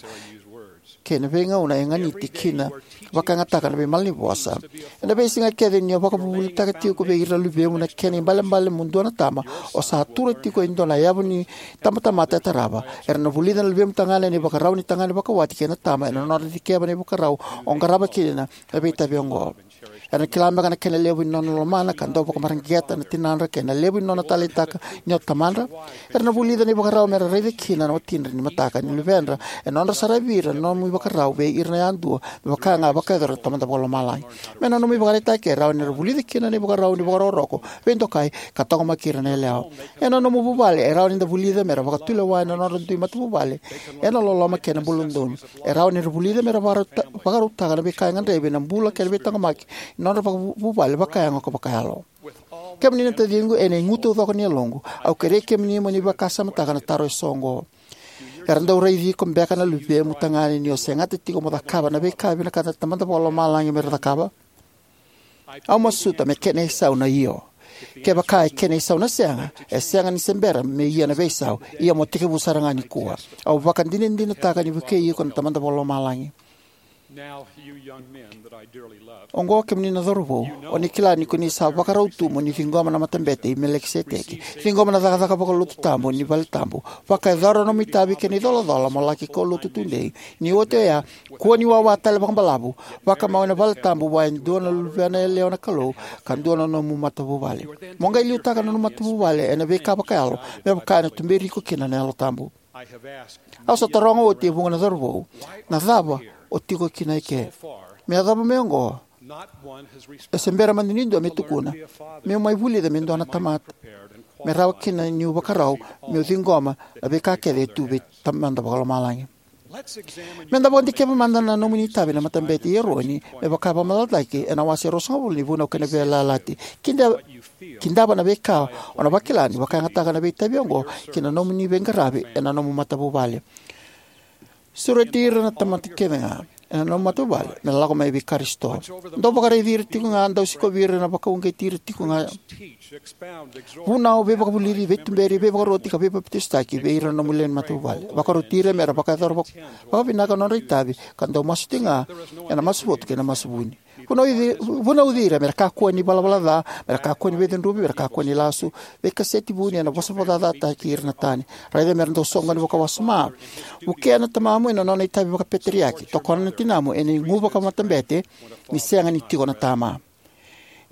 kei na veigauna e ganiti kina vakayagataka na veimalanivosa. Ena veisiga kece ni o vakavuvulitaka tiko vei ira na luvemu na kena ibalebale mo dua na tama, o sa tura tiko e dua na yavu ni tabatamata e tarava. Era na vulica na luvemu tagane na ivakarau ni tagane vakawati kei na tama ena nodra dikeva na ivakarau o qarava kina na veitavi oqo. Era na kila beka na kena levu ni nona lomana ka dau vakamareqeta na tinadra kei na levu ni nona taleitaka ni o tamadra? Era na vulica na ivakarau me ra raica kina na watidra ni mataka ni luvedra ena nodra saravi ira na nomu ivakarau vei ira yadua, me vaka ga e vakayacora na Tamada Vakalomalagi. Me na nomu ivakaraitaki, e rawa ni ra vulica kina na ivakarau ni vakarokoroko, veidokai, ka taqomaki ira na yalewa. Ena nomu vuvale, e rawa ni da vulica me ra vakatulewa ena nodra dui matavuvale ena loloma kei na bula dodonu. E rawa ni ra vulica me ra vakarauta-, vakarautaka na veika e gadrevi ena bula kei na veitaqomaki ni nodra vakavuvale vakayago ka vakayalo. Kemuni na taciqu, ena igu taucoko ni yaloqu, au kerei kemuni mo ni vakasamataka na taro eso oqo. Era dau raici iko beka na luvemu tagane ni o segata tiko mo cakava na veika e vinakata na Tamada Vakalomalagi me ra cakava? Au masuta me kena isau na io. Kevaka e kena isau na sega, e sega ni se bera me ia na veisau, ia mo tekivu sara ga nikua. Au vakadinadinataka ni vukei iko na Tamada Vakalomalagi. Now, you young men that I dearly love, oqo kemuni na cauravou, o ni kila ni ko ni sa vakarau tu mo ni ciqoma na Matabete i Melikiseteki, ciqoma na cakacaka vakalotu tabu ni valetabu, vakayacora na nomu itavi kei na icolacola mo laki kaulotu tudei, ni oti oya, kua ni wawa tale vakabalavu, vakamau ena valetabu vua e dua na luvena yalewa na Kalou, ka dua na nomu matavuvale. Mo qai liutaka na nomu matavuvale ena veika vakayalo, me vaka ena tuberi iko kina na Yalo Tabu. Au sa taroga oti e vuqa na cauravou, na cava o tiko kina eke? Me yacova mai oqo, e se bera mada ni dua me tukuna, meu mai vulica me dua na tamata, me rawa kina niu vakarau meu ciqoma na veika kece e tu vei Tamada Vakalomalagi. Me da vakadikeva mada na nomuni itavi na Matabete i Eroni, me vaka e vakamacalataki ena wase ruasagavulu ni Vunau kei na Veiyalayalati. Kida-, kidava na veika o na vakila ni vakayagataka na veitavi oqo ki na nomuni veiqaravi ena nomu matavuvale. Sureti ira na tamata kece ga ena nomu matavuvale me lako mai vei Karisito. Dou vakaraici ira tiko ga, dau sikovi ira, na vakauqeti ira tiko ga. Vunau, veivakavulici, veituberi, veivakaruti ka veipapitaisotaki vei ira na nomu lewe ni matavuvale. Vakaroti ira me ra vakayacora vak-, vakavinaka na nodra itavi, ka dau masu tiko ga ena masu votu kei na masu vuni. Vunauci, vunauci ira me ra kakua ni valavala ca, me ra kakua ni veicudruvi, me ra kakua ni lasu, veikaseti vuni ena vosa vakacacataki ira na tani. Raica me ra dau soqoni vakawasoma. Vukea na tamamu ena nona itavi vakapeteriaki. Tokona na tinamu ena igu vakamatabete ni sega ni tiko na tama.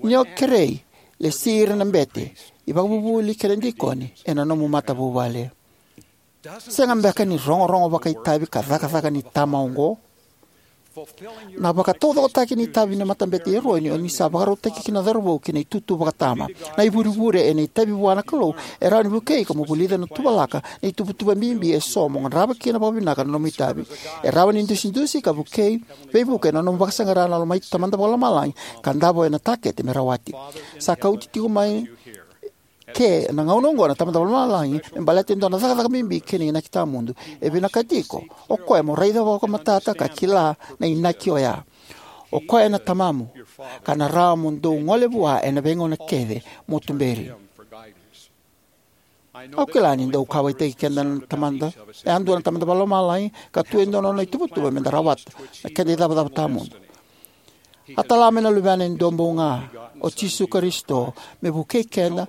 Ni o kerei, lesi ira na bete, ivakavuvuli kei na dikoni ena nomu matavuvale. Sega beka ni rogorogo vakaitavi ka cakacaka ni tama oqo? Na vakataucokotaki ni itavi ni Matabete i Eroni o ni sa vakarautaki kina na cauravou ki na itutu vakatama. Na ivurevure ena itavi vua na Kalou e rawa ni vukei iko mo vulica na tuvalaka, na ituvatuva bibi eso mo qarava kina vakavinaka na nomu itavi. E rawa ni dusidusi ka vukei, veivuke ena nomu vakasaqara na loma i Tamada Vakalomalagi ka davo ena takete me rawati. Sa kauti tiko mai ke na gauna oqo na Tamada Vakalomalagi me baleta e dua na cakacaka bibi kei na inaki tawamudu. E vinakati iko o koya mo raica vakamatata ka kila na inaki oya. O koya na tamamu, ka na rawa mo dou gole vua ena veigauna kece mo tuberi. Au kila ni dau kauwaitaki keda na Tamada, e a dua na Tamada Vakalomalagi, ka tu e dua na nona ituvatuva me da rawata na keda icavacava tawamudu. A tala mai na Luvena e dua bau ga, o Jisu Karisito, me vukei keda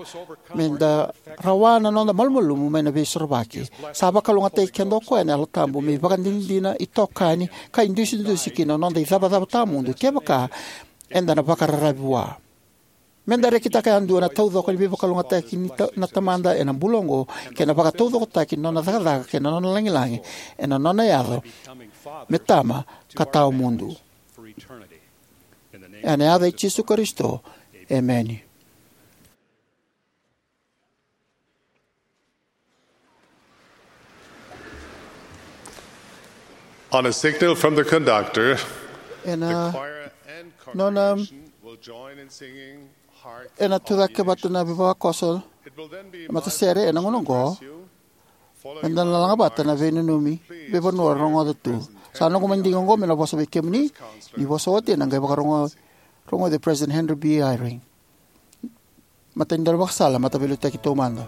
me da rawa na noda malumalumu mai na Veisorovaki. Sa vakalougatataki keda o koya na Yalo Tabu me ivakadinadina, itokani, ka idusidusi ki na noda icavacava tawamudu kevaka eda na vakararavi vua. Me da rekitaka yadua na taucoko ni veivakalougatataki ni ta-, na Tamada ena bula oqo, kei na vakataucokotaki ni nona cakacaka kei na nona lagilagi ena nona yaco me tama ka tawamudu. Ena yaca i Jisu Karisito, emeni. On a signal from the conductor, ena the choir and nona congregation will join in singing Heart Ena tucake vata na veivakoso, matasere, ena gauna oqo, eda na laga vata na veinanumi veivanua rogoca tu. Sa noqu madigi oqo me na vosa vei kemuni, ni vosa oti ena qai vakarogo-, rogoci President Henry B. Eyring. Matai ni daunivakasala, mataveiliutaki taumada.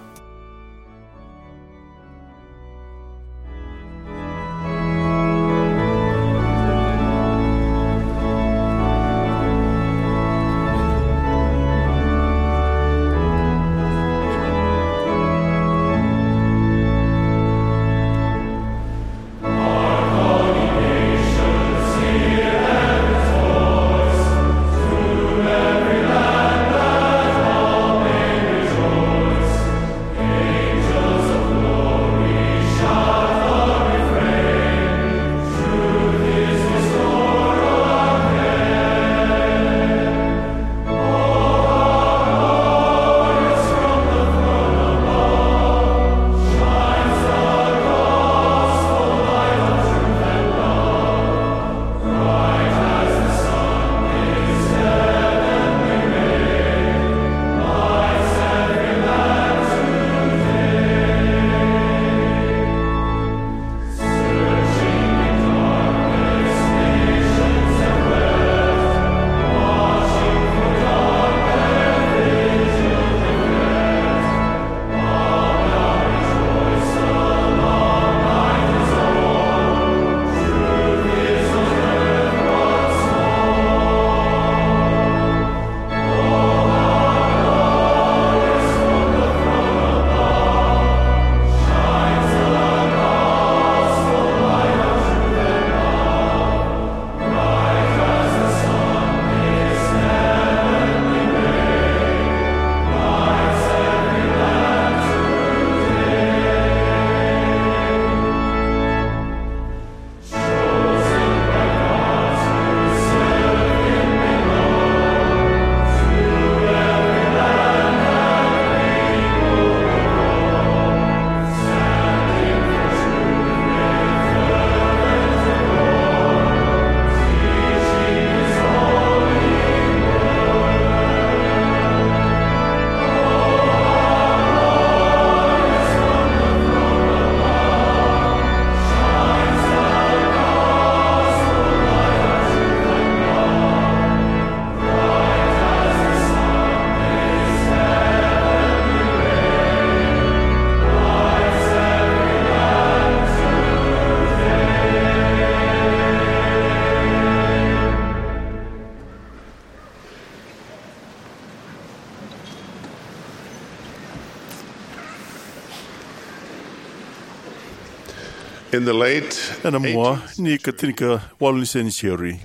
In the late Ena mua ni ka tinikawalu ni senitiuri,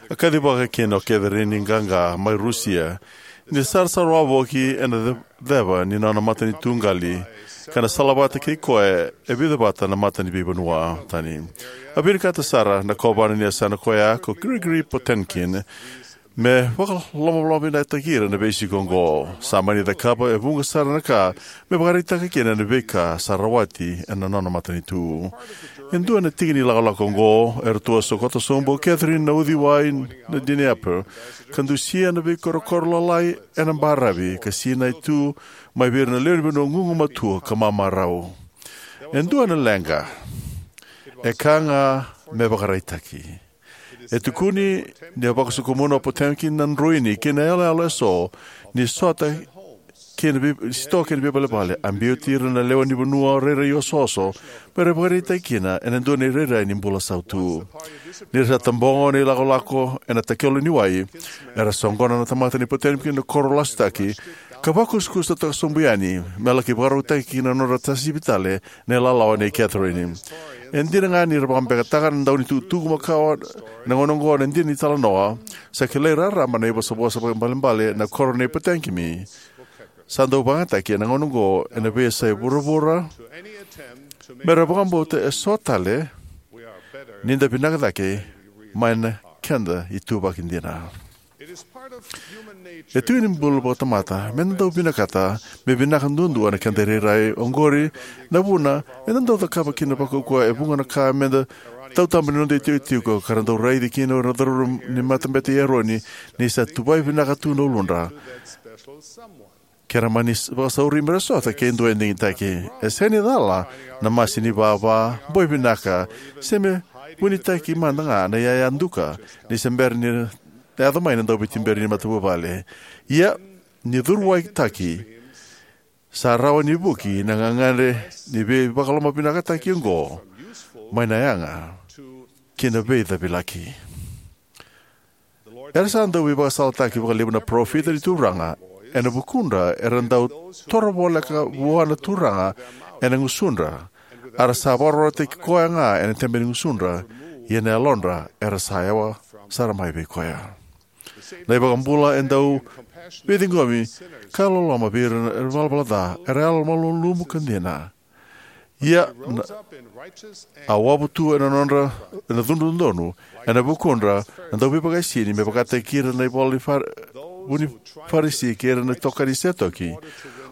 a kacivaka kina o Catherine Gaga mai Rusia ni sarasara wavoki ena ce- ceva ni nona matanitu qali, ka na salavata kei koya e vica vata na mata ni veivanua tani. A vinakata sara na kovana ni yasana koya ko Grigory Potemkin me vakalomalomavinakataki ira na veisiko oqo. Sa mani cakava e vuqa sara na ka me vakaraitaka kina na veika sa rawati ena nona matanitu. E dua na tiki ni lakolako oqo, eratou a sokota sobu o Catherine na uciwai na Dnieper, ka dusia na veikorokoro lalai ena baravi, ka sinai tu mai vei ira na lewe ni vanua gugumatua ka mamarau. E dua na leqa. E ka ga me vakaraitaki. E tukuni ni a vakasokumuna o Potemkin na droini kei na iyaloyalo eso ni sota kei na vei- sitoa kei na veivalevale. A biuti ira na lewe ni vanua rairai osooso me ra vakaraitaki kina ena dua na irairai ni bula sautu. Ni ra sa tabogo na ilakolako ena takelo ni wai, era soqona na tamata ni Potemkin na koro lasutaki, ka vakusakusataka sobu yani me laki vakarautaki kina na nodra tasivi tale na ilalawa nei Catherine. E dina ga ni ra vakabekataka na dau ni tukutuku makawa na gauna oqo na dina ni talanoa, sa kilai raraba na ivosavosa vakaibalebale na koro nei Potemkin. Sa dau vakayagataki ena gauna oqo ena veiyasai vuravura me ra vakabauta eso tale ni da vinaka cake mai na keda ituvaki dina. E tiki ni bula vakatamata me da dau vinakata me vinaka duadua na keda irairai. Oqori na vuna eda dau cakava kina vakaukauwa e vuqa na ka me da tautabani noda itikotiko, ka ra dau raici kina o ira na cauravou ni matabete i Eroni ni sa tuvai vinaka tu na uludra. Ke ra mani s- vakasauri me ra sota kei dua e digitaki. E sega ni cala na masi ni vava, boi vinaka, se me vunitaki mada ga na iyaya duka ni se bera ni yaco mai na dauveituberi ni matavuvale. Ia, ni curuaitaki, sa rawa ni vuki na gagadre ni veivakalomavinakataki oqo mai na yaga ki na veicavilaki. Era sa dau veivakasalataki vakalevu na parofita ni Turaga ena vukudra era dau toro voleka vua na Turaga ena gusudra, a ra sa vakarautaki koya ga ena tebe ni gusudra, ia na yalodra era sa yawa sara mai vei koya. Na iVakabula e dau veiciqomi ka loloma vei ira na ivalavala ca era yalomalumalumu ka dina. Ia, na, a wavu tu ena nodra, ena cudru dodonu, ena vukudra na dauveivaisini me vakataki ira na ivola ni Far- vu ni Farisi kei ira na itokani Setoki.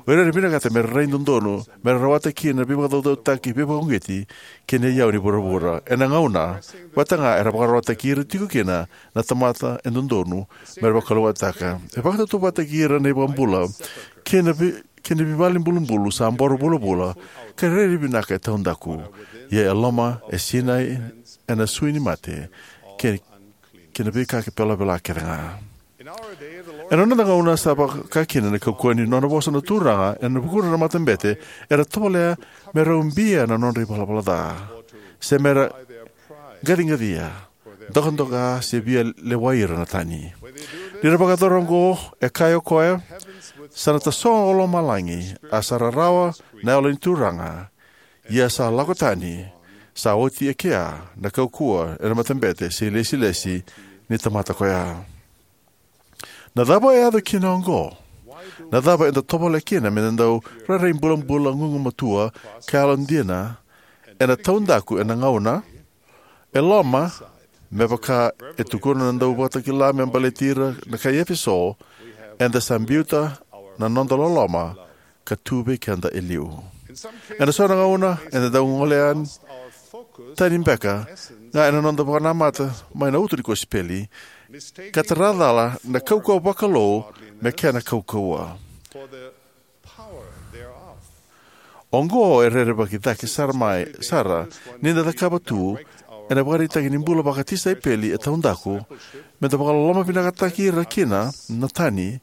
O ira era vinakata me ra rai dodonu, me ra rawata kina na veivakacaucautaki, veivakauqeti kei na iyau ni vuravura. Ena gauna vata ga era vakararawataki ira tiko kina na tamata e dodonu me ra vakalougatataka. E vakatautauvatataki ira na iVakabula kei na vei- kei na veivale ni bulubulu sa boro vulavula, ka rairai vinaka e taudaku. Ia e loma, e sinai ena sui ni mate, kei, kei na veika kei velavela kece ga. Ena noda gauna sa vaka kina na kaukauwa ni nona vosa na Turaga ena vukudra na matabete era tovolea me ra ubia na nodra ivalavala ca, se me ra qaciqacia, dokadoka, se via lewai ira na tani. Ni ra vakayacora oqo, e kaya o koya, sa na tasogo o lomalagi, a sa rarawa na yalo ni Turaga, ia sa lako tani, sa oti e kea na kaukauwa ena matabete se ilesilesi ni tamata koya. Na cava e yaco kina oqo? Na cava eda tovolea kina me da dau rairai bulabula gugumatua ka yalodina ena taudaku ena gauna e loma, me vaka e tukuna na dauvakatakila me baleti ira na kai Efeso, eda sa biuta na noda loloma ka tu vei keda e liu. Ena so na gauna eda dau gole yani tani beka ga ena noda vakanamata mai na uto ni kosipeli, ka tara cala na kaukauwa vakalou me kena kaukauwa. Oqo e rerevaki cake sara mai sara ni da cakava tu ena ivakaraitaki ni bula vakatisaipeli e taudaku, me da vakalolomavinakataki ira kina na tani,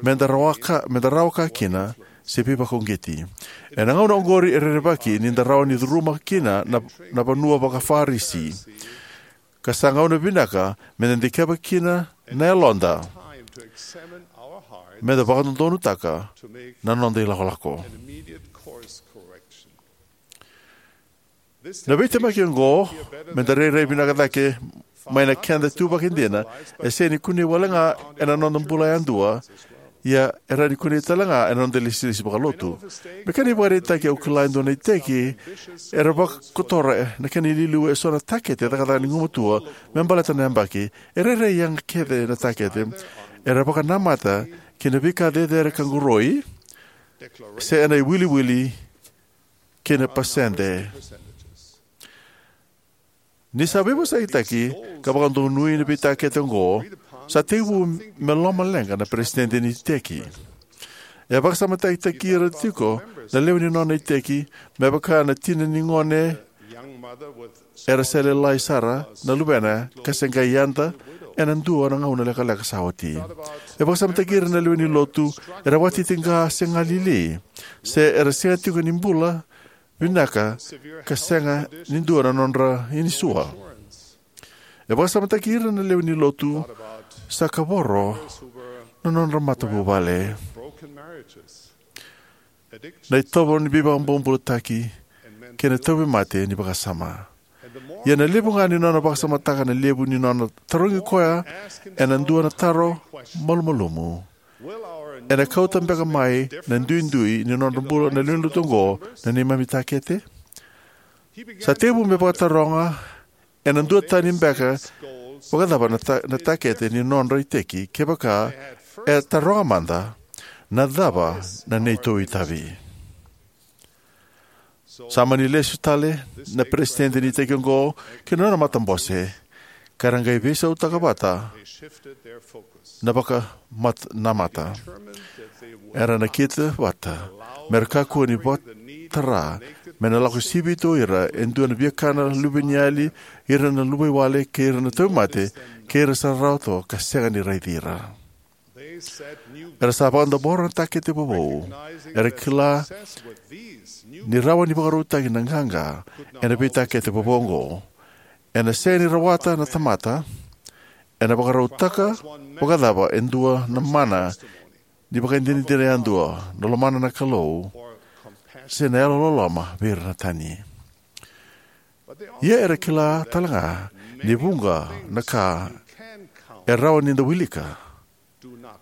me da rawa ka, me da rawa ka kina, se veivakauqeti. Ena gauna oqori e rerevaki ni da rawa ni curuma kina na, na vanua vakaFarisi. Ka sa gauna vinaka me da dikeva kina na yaloda, me da vakadodonutaka na noda ilakolako. Na veitemaki oqo, me da rairai vinaka cake mai na keda ituvaki dina, e sega ni kunei wale ga ena noda bula yadua, ia e rawa ni kunei tale ga ena noda ilesilesi vakalotu. Me kena ivakaraitaki, au kila e dua na iteki era vakotora na kena iliuliu eso na takete cakacaka ni gumatua me baleta na yabaki. E rairai yaga kece na takete era vakanamata ki na veika cecere ka qoroi, se ena iwiliwili kei na pasede. Ni sa veivosakitaki ka vakadonui na veitakete oqo, sa tekivu me lomaleqa na peresitedi ni iteki. E vakasamataki ira tiko na lewe ni nona iteki, me vaka na tina ni gone era se lalai sara na luvena ka se qai yada ena dua na gauna lekaleka sa oti. E vakasamataki ira na lewe ni lotu era vakatitiqa se galili, se era sega tiko ni bula vinaka ka sega ni dua na nodra inisua. E vakasamataki ira na lewe ni lotu sa kavoro na nodra matavuvale, na itovo ni veivakabobulataki, kei na tauvimate ni vakasama. Ia na levu ga ni nona vakasamataka na levu ni nona tarogi koya ena dua na taro malumalumu: ena kauta beka mai na duidui ni nodra bula na lewe ni lotu oqo na neimami takete? Sa tekivu me vakataroga ena dua tani beka vakacava na, ta, na takete ni nodra iteki, kevaka e taroga mada, na cava na neitou itavi? Sa mani lesu tale na peresitedi ni iteki oqo ki na nona matabose, ka ra qai veisautaka vata na vakanamata. Era nakita vata me ra kakua ni vakatara me na lako sivi tu o ira e dua na viakana luveniyali, ira na luvaiwale, kei ira na tauvimate, kei ira sa rarawa toka ka sega ni raici ira. Era sa vakadavora na takete vovou. Era kila ni rawa ni vakarautaki na qaqa ena veitakete vovou oqo. Ena sega ni rawata na tamata ena vakarautaka vakacava e dua na mana ni vakadinadina yadua, na lomana na Kalou, se na yalololoma vei ira na tani. Ia era kila tale ga ni vuqa na ka e rawa ni da wilika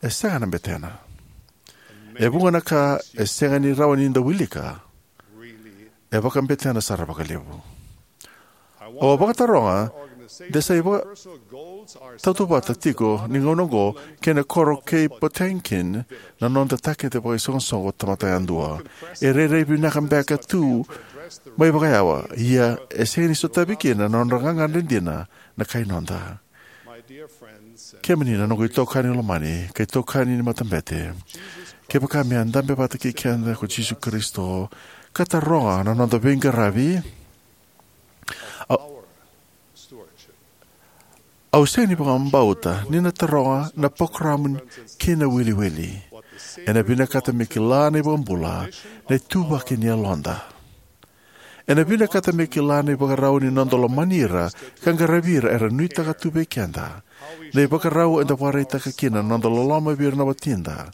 e sega na betena. E vuqa na ka e sega ni rawa ni da wilika e vakabetena sara vakalevu. Au a vakataroga de sa ivakatautauvata tiko ni gauna oqo kei na koro kei Potemkin na noda takete vakaisoqosoqo tamata yadua. E rairai vinaka beka tu mai vakayawa, ia e sega ni sotavi kina na nodra gagadre dina na kai noda. Kemuni na noqu itokani lomani kei itokani ni matabete, kevaka me a dabe vata kei keda ko Jisu Karisito ka taroga na noda veiqaravi, au, au sega ni vakabauta ni na taroga na parokaramu kei na wiliwili. Ena vinakata me kila na iVakabula na ituvaki ni yaloda. Ena vinakata me kila na ivakarau ni noda lomani ira ka qaravi ira era nuitaka tu vei keda, na ivakarau eda vakaraitaka kina na noda loloma vei ira na watida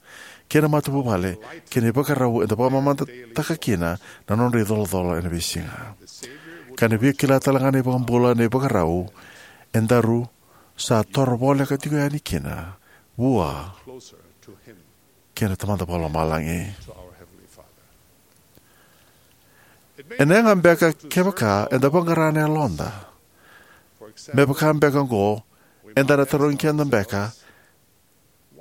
kei na matavuvale, kei na ivakarau eda vakamamadataka kina na nodra icolacola ena veisiga. Ka na via kila tale ga na iVakabula na ivakarau edaru sa toro voleka tiko yani kina vua kei na Tamada Vakalomalagi. Ena yaga beka kevaka eda vaqara na yaloda. Me vaka beka oqo, eda na tarogi keda beka,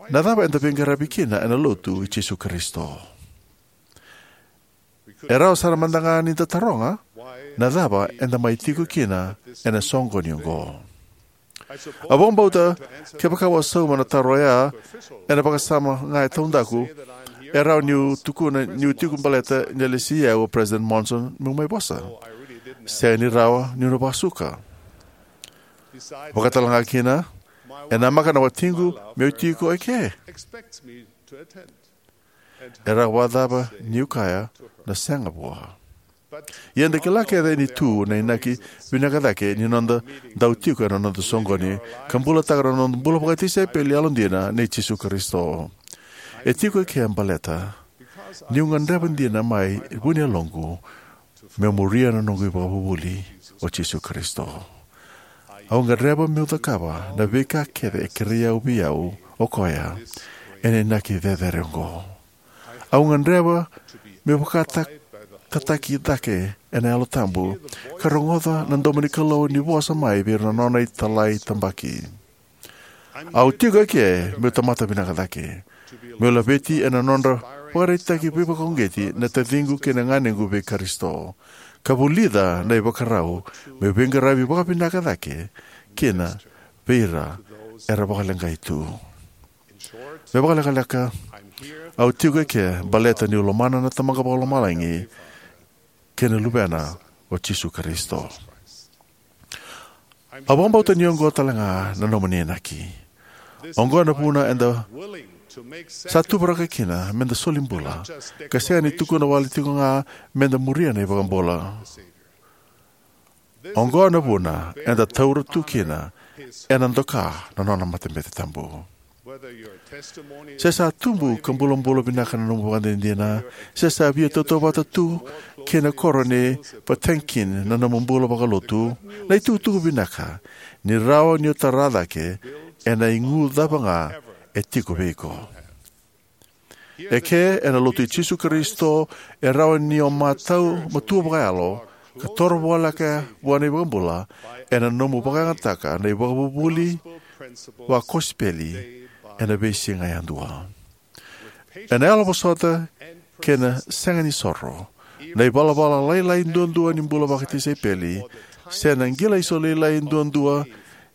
na cava eda veiqaravi kina ena Lotu i Jisu Karisito? E rawa sara mada ga ni da taroga, na cava eda mai tiko kina ena soqoni oqo? Au vakabauta, kevaka au a sauma na taro oya ena vakasama ga e taudaku, e rawa niu tukuna niu tiko baleta ni a lesi au o President Monson meu mai vosa. Sega ni rawa niu na vakasuka. Vakatalega kina, e namaka na watiqu meu tiko eke. E rawa vakacava niu kaya na sega vua? Ia eda kila kece ni tu na inaki vinaka cake ni noda dau tiko ena noda soqoni ka bulataka na noda bula vakatisaipeli yalodina nei Jisu Karisito. E tiko eke baleta niu gadreva dina mai vuniyaloqu meu muria na noqu iVakavuvuli, o Jisu Karisito. Au gadreva meu cakava na veika kece e kerei au vei au o koya ena inaki cecere oqo. Au gadreva meu vakatataki cake ena Yalo Tabu ka rogoca na domo ni Kalou ni vosa mai vei ira na nona italai tabaki. Au tiko eke meu tamata vinaka cake, meu laveti ena nodra vakaraitaki veivakauqeti na taciqu kei na ganequ vei Karisito, ka vulica na ivakarau meu veiqaravi vakavinaka cake kina vei ira era vakaleqai tu. Me vakalekaleka, au tiko eke baleta niu lomana na Tamaqu Vakalomalagi kei na Luvena, o Jisu Karisito. Au vakabauta ni oqo talega na nomuni inaki. Oqo na vuna eda sa tuvakarau kina meda soli bula, ka sega ni tukuna wale tiko ga meda muria na iVakabula. Oqo na vuna eda taura tu kina ena doka na nona matabete tabu. Se sa tubu ka bulabula vinaka na nomu ivakadinadina, se sa via tautauvata tu kei na koro ni Potemkin na nomu bula vakalotu, na itukutuku vinaka ni rawa ni o tara cake ena igu cava ga e tiko vei iko. Eke ena Lotu i Jisu Karisito, e rawa ni o matau matua vakayalo ka toro voleka vua na iVakabula ena nomu vakayagataka na ivakavuvuli vakosipeli ena veisiga yadua. Ena yalovosota kei na sega ni soro, na ivalavala lailai duadua ni bula vakatisaipeli, se na qilaiso lailai duadua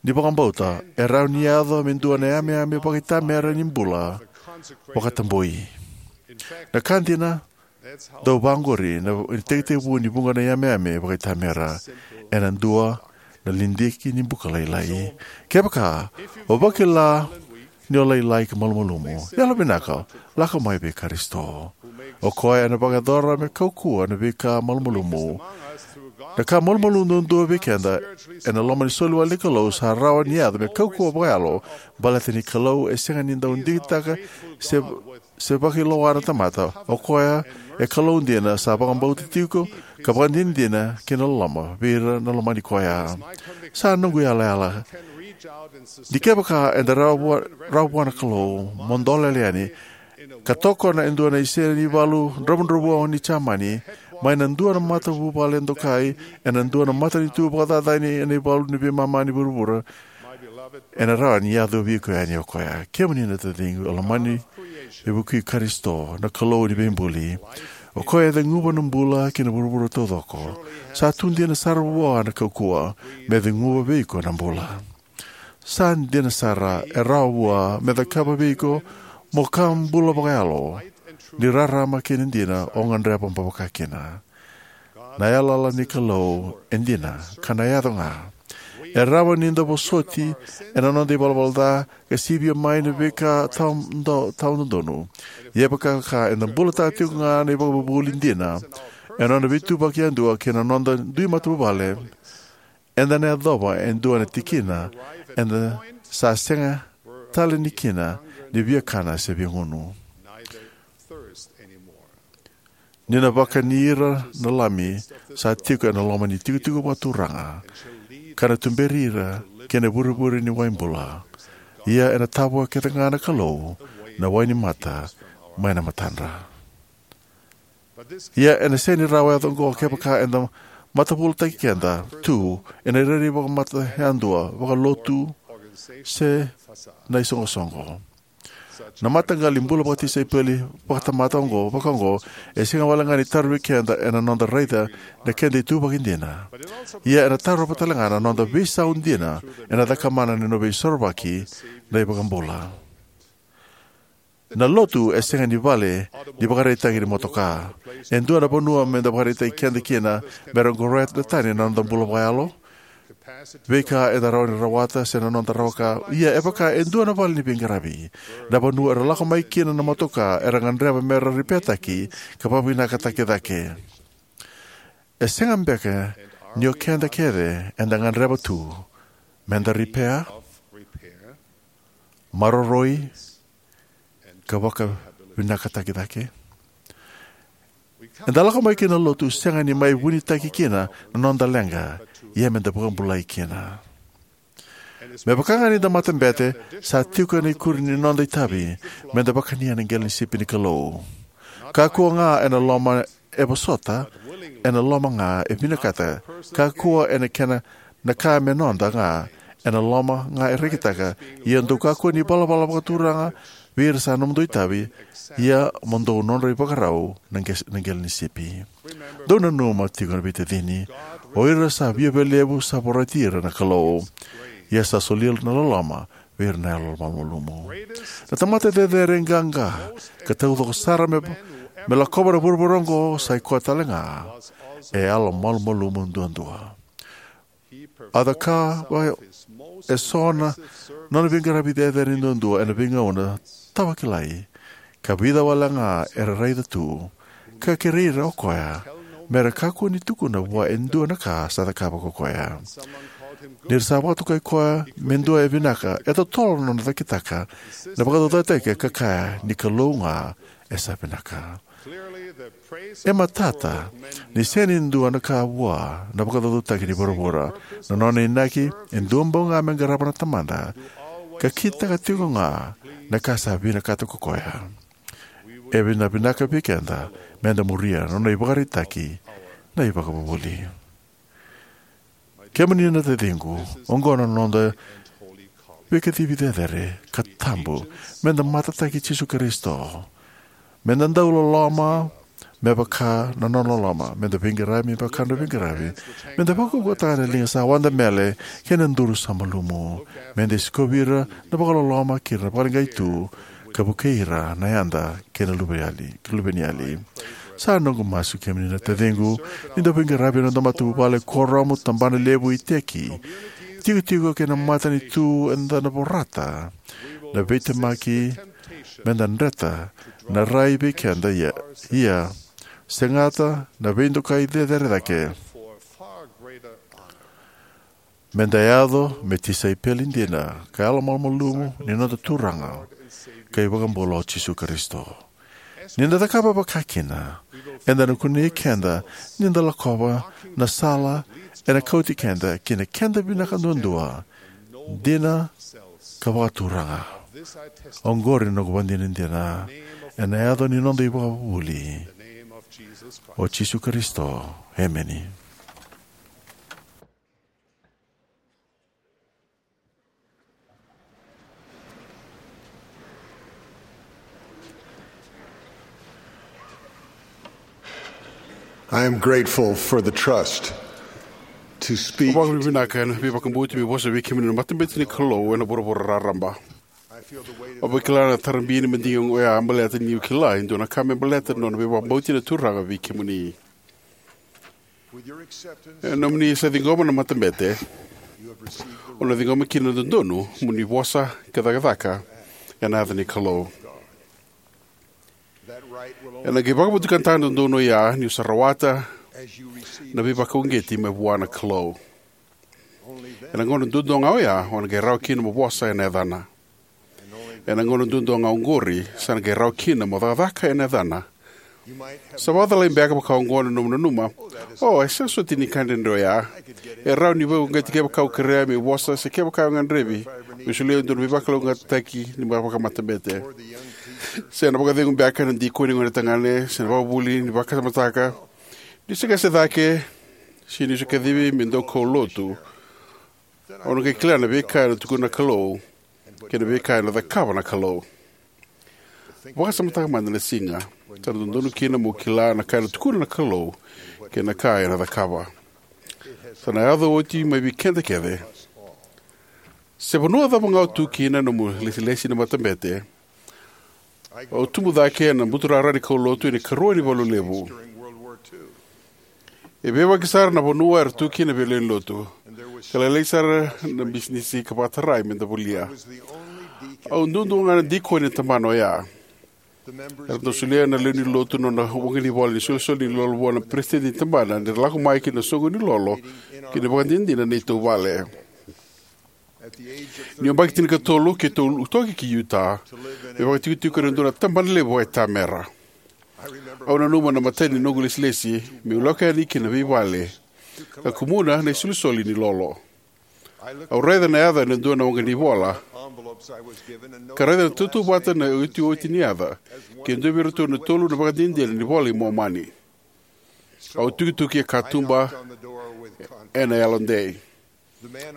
ni vakabauta, e rawa ni yaco me dua na yameyame vakaitamera ni bula vakatabui. Na ka dina, dau vaqori na itekitekivu ni vuqa na yameyame vakaitamera, ena dua na lidiki ni buka lailai. Kevaka o vakila ni o lailai ka malumalumu, yalovinaka, lako mai vei Karisito. O koya ena vakayacora me kaukauwa na veika malumalumu. Na ka malumalumu duadua vei keda ena loma ni soli wale ni Kalou sa rawa ni yaco me kaukauwa vakayalo, baleta ni Kalou e sega ni dau digitaka se, se vakailoa na tamata. O koya e Kalou dina, sa vakabauta tiko ka vakadinadina kei na loloma vei ira na lomani koya. Sa noqu yalayala ni kevaka eda rawa vua, rawa vua na Kalou mo dolele yani ka tokona e dua na isele ni valu dravudravua ni Jamani mai na dua na matavuvale dokai ena dua na matanitu vakacacani ena ivalu ni veimama ni vuravura, ena rawa ni yacovi iko yani o koya. Kemuni na taciqu, e lomani e vukui Karisito, na Kalou ni veibuli. O koya e ceguva na bula kei na vuravura taucoko. Sa tu dina sara vua na kaukauwa me ceguva vei iko na bula. Sa dina sara, e rawa vua me cakava vei iko mo ka bula vakayalo, ni rarama kei na dina o gadreva mo vakakina. Na yalayala ni Kalou e dina ka na yaco ga. E rawa ni da vosoti ena noda ivalavala ca ka sivia mai na veika tawa do-, tawa dodonu. Ia kevaka eda bulataka tiko ga na ivakavuvuli dina ena nona veituvaki yadua kei na noda dui matavuvale, eda na yacova e dua na tikina eda sa sega tale ni kina ni via kana se via gunu. Ni na vakani ira na lami sa tiko ena loma ni tikotiko vakaturaga, ka na tuberi ira ki na vurevure ni wai bula. Ia ena tavoya kece ga na Kalou na wai ni mata mai na matadra. Ia ena sega ni rawa yaco oqo kevaka eda matavulataki keda tu ena irairai vakamata yadua, vakalotu, se na isoqosoqo. Na mataqali bula vakatisaipeli vakatamata oqo, vaka oqo, e sega wale ga ni tarovi keda ena noda raica na keda ituvaki dina. Ia ena tarova tale ga na noda veisau dina ena cakamana ni nona veisorovaki na iVakabula. Na lotu e sega ni vale ni vakaraitaki ni motoka. E dua na vanua meda vakaraitaki keda kina mera qoroya na tani na noda bula vakayalo, veika eda rawa ni rawata se na noda rawa ka. Ia e vaka e dua na vale ni veiqaravi, na vanua era lako mai kina na motoka era gadreva mera ripeataki ka vakavinakataki cake. E sega beka ni o keda kece eda gadreva tu meda ripea, maroroi, ka vakavinakataki cake? Eda lako mai ki na lotu sega ni mai vunitaki kina na noda leqa, ia meda vakabulai kina. Me vaka ga ni da matabete, sa tiko ena ikuri ni noda itavi meda vakania na qele ni sipi ni Kalou. Kakua ga ena loma e vosota, ena loma ga e vinakata. Kakua ena kena na ka me noda ga, ena loma ga e rekitaka. Ia dou kakua ni valavala vakaturaga vei ira sa nomudou itavi, ia mo dou nodra ivakarau na qe-, na qele ni sipi. Dou nanuma tiko na veitacini, o ira sa viavialevu sa vorati ira na Kalou, ia sa solia na loloma vei ira na yalo malumalumu. Na tamata cecere qaqa ka taucoko sara me, me lakova na vuravura oqo sa i koya tale ga e yalo malumalumu duadua. A cakava eso na nona veiqaravi cecere duadua ena veigauna tawakilai, ka vica wale ga era raica tu, ka kerei ira o koya mera kakua ni tukuna vua e dua na ka sa cakava ko koya. Ni ra sa vakatokai koya me dua e vinaka, e totolo na nona cakitaka na vakacaucautaki, ka kaya ni Kalou ga e sa vinaka. E matata ni sega ni dua na ka vua na vakacaucautaki ni vuravura. Na nona inaki e dua bau ga me qarava na Tamada, ka kitaka tiko ga na ka sa vinakata ko koya. E vina vinaka vei keda meda muria na nona ivakaraitaki na ivakavuvuli. Kemuni na taciqu, oqo na noda veikacivi cecere ka tabu, meda matataki Jisu Karisito, meda dau loloma me vaka na nona loloma, meda veiqaravi me vaka na veiqaravi, meda vakaukauwataka na liga sa wadamele kei na duru sa malumu, meda sikovi ira na vakaloloma kei ira na vakaleqai tu, ka vukei ira na yada kei na luveniyali, luveniyali. Sa noqu masu, kemuni na taciqu, ni da veiqaravi ena noda matavuvale, kuoramu, tabana levu, iteki, tikotiko kei na matanitu, eda na vorata na veitemaki meda dreta na rai vei keda, ia, ia segata na veidokai cecere cake, meda yaco me tisaipeli dina ka yalomalumalumu ni noda Turaga ka iVakabula o Jisu Karisito. Ni da cakava vakakina, eda na kunei keda ni da lakova na sala ena kauti keda ki na keda vinaka duadua, dina ka vakaturaga. Oqori na noqu vakadinadina ena yaca ni noda iVakavuvuli, o Jisu Karisito. Emeni. I am grateful for the trust to speak. Au vakavinavinaka ena veivakabauti meu vosa vei kemuni na matabete ni Kalou ena vuravura raraba. Au vakila na tarabi ni madigi oya baleta niu kila e dua na ka me baleta na nona veivakabauti na Turaga vei kemuni. E nomuni sa ciqoma na matabete, o na ciqoma kina na dodonu mo ni vosa ka cakacaka ena yaca ni Kalou. Ena qai vakavotukana na dodonu oya niu sa rawata na veivakauqeti mai vua na Kalou. Ena gauna duadua ga oya o na qai rawa kina mo vosa ena yacana. Ena gauna duadua ga oqori sa na qai rawa kina mo cakacaka ena yacana. Sa vakacalai beka vaka oqo na nomu nanuma, "O, e sega soti ni ka dredre oya. E rawa ni vakauqeti kevaka au kerea meu vosa se kevaka au gadrevi meu solia e dua na veivakalougatataki ni vakamatabete." Se na vakacegu beka ena dikoni ni gonetagane se na vakavuli ni vakasamataka. Niu se qase cake se niu se kacivi me dau kaulotu, au na qai kila na veika ena tukuna na Kalou kei na veika ena cakava na Kalou. Vakasamataka mada na siga sa na dodonu kina mo kila na ka ena tukuna na Kalou kei na ka ena cakava. Sa na yaco oti mai vei keda kece. Se vanua cava ga o tu kina ena nomu ilesilesi ni matabete, au tubu cake ena buturara ni kaulotu ena ikarua ni valu levu. E veivaki sara na vanua era tu kina na veilewai ni lotu, ka lailai sara na bisinisi ka vakatarai meda volia. Au duadua ga na dikoni ena tabana oya. Era dau solia na lewe ni lotu na nona waqanivola ni solisoli ni lolo vua na peresitedi ni tabana ni ra lako mai ki na soqo ni lolo ki na ivakadinadina ni neitou vale. Niu yabaki tinikatolu, keitou toki ki Utah me vakatikotiko ena dua na tabana levu e tamera. Au nanuma na imatai ni noqu ilesilesi meu lako yani ki na veivale ka kumuna na isolisoli ni lolo. Au raica na yaca ena dua na waqa ni vola ka raica ni tautauvata na iotioti ni yaca kei na dua vei iratou na tolu na ivakadinadina ni iVola i Momani. Au tukituki e katuba ena yalodei.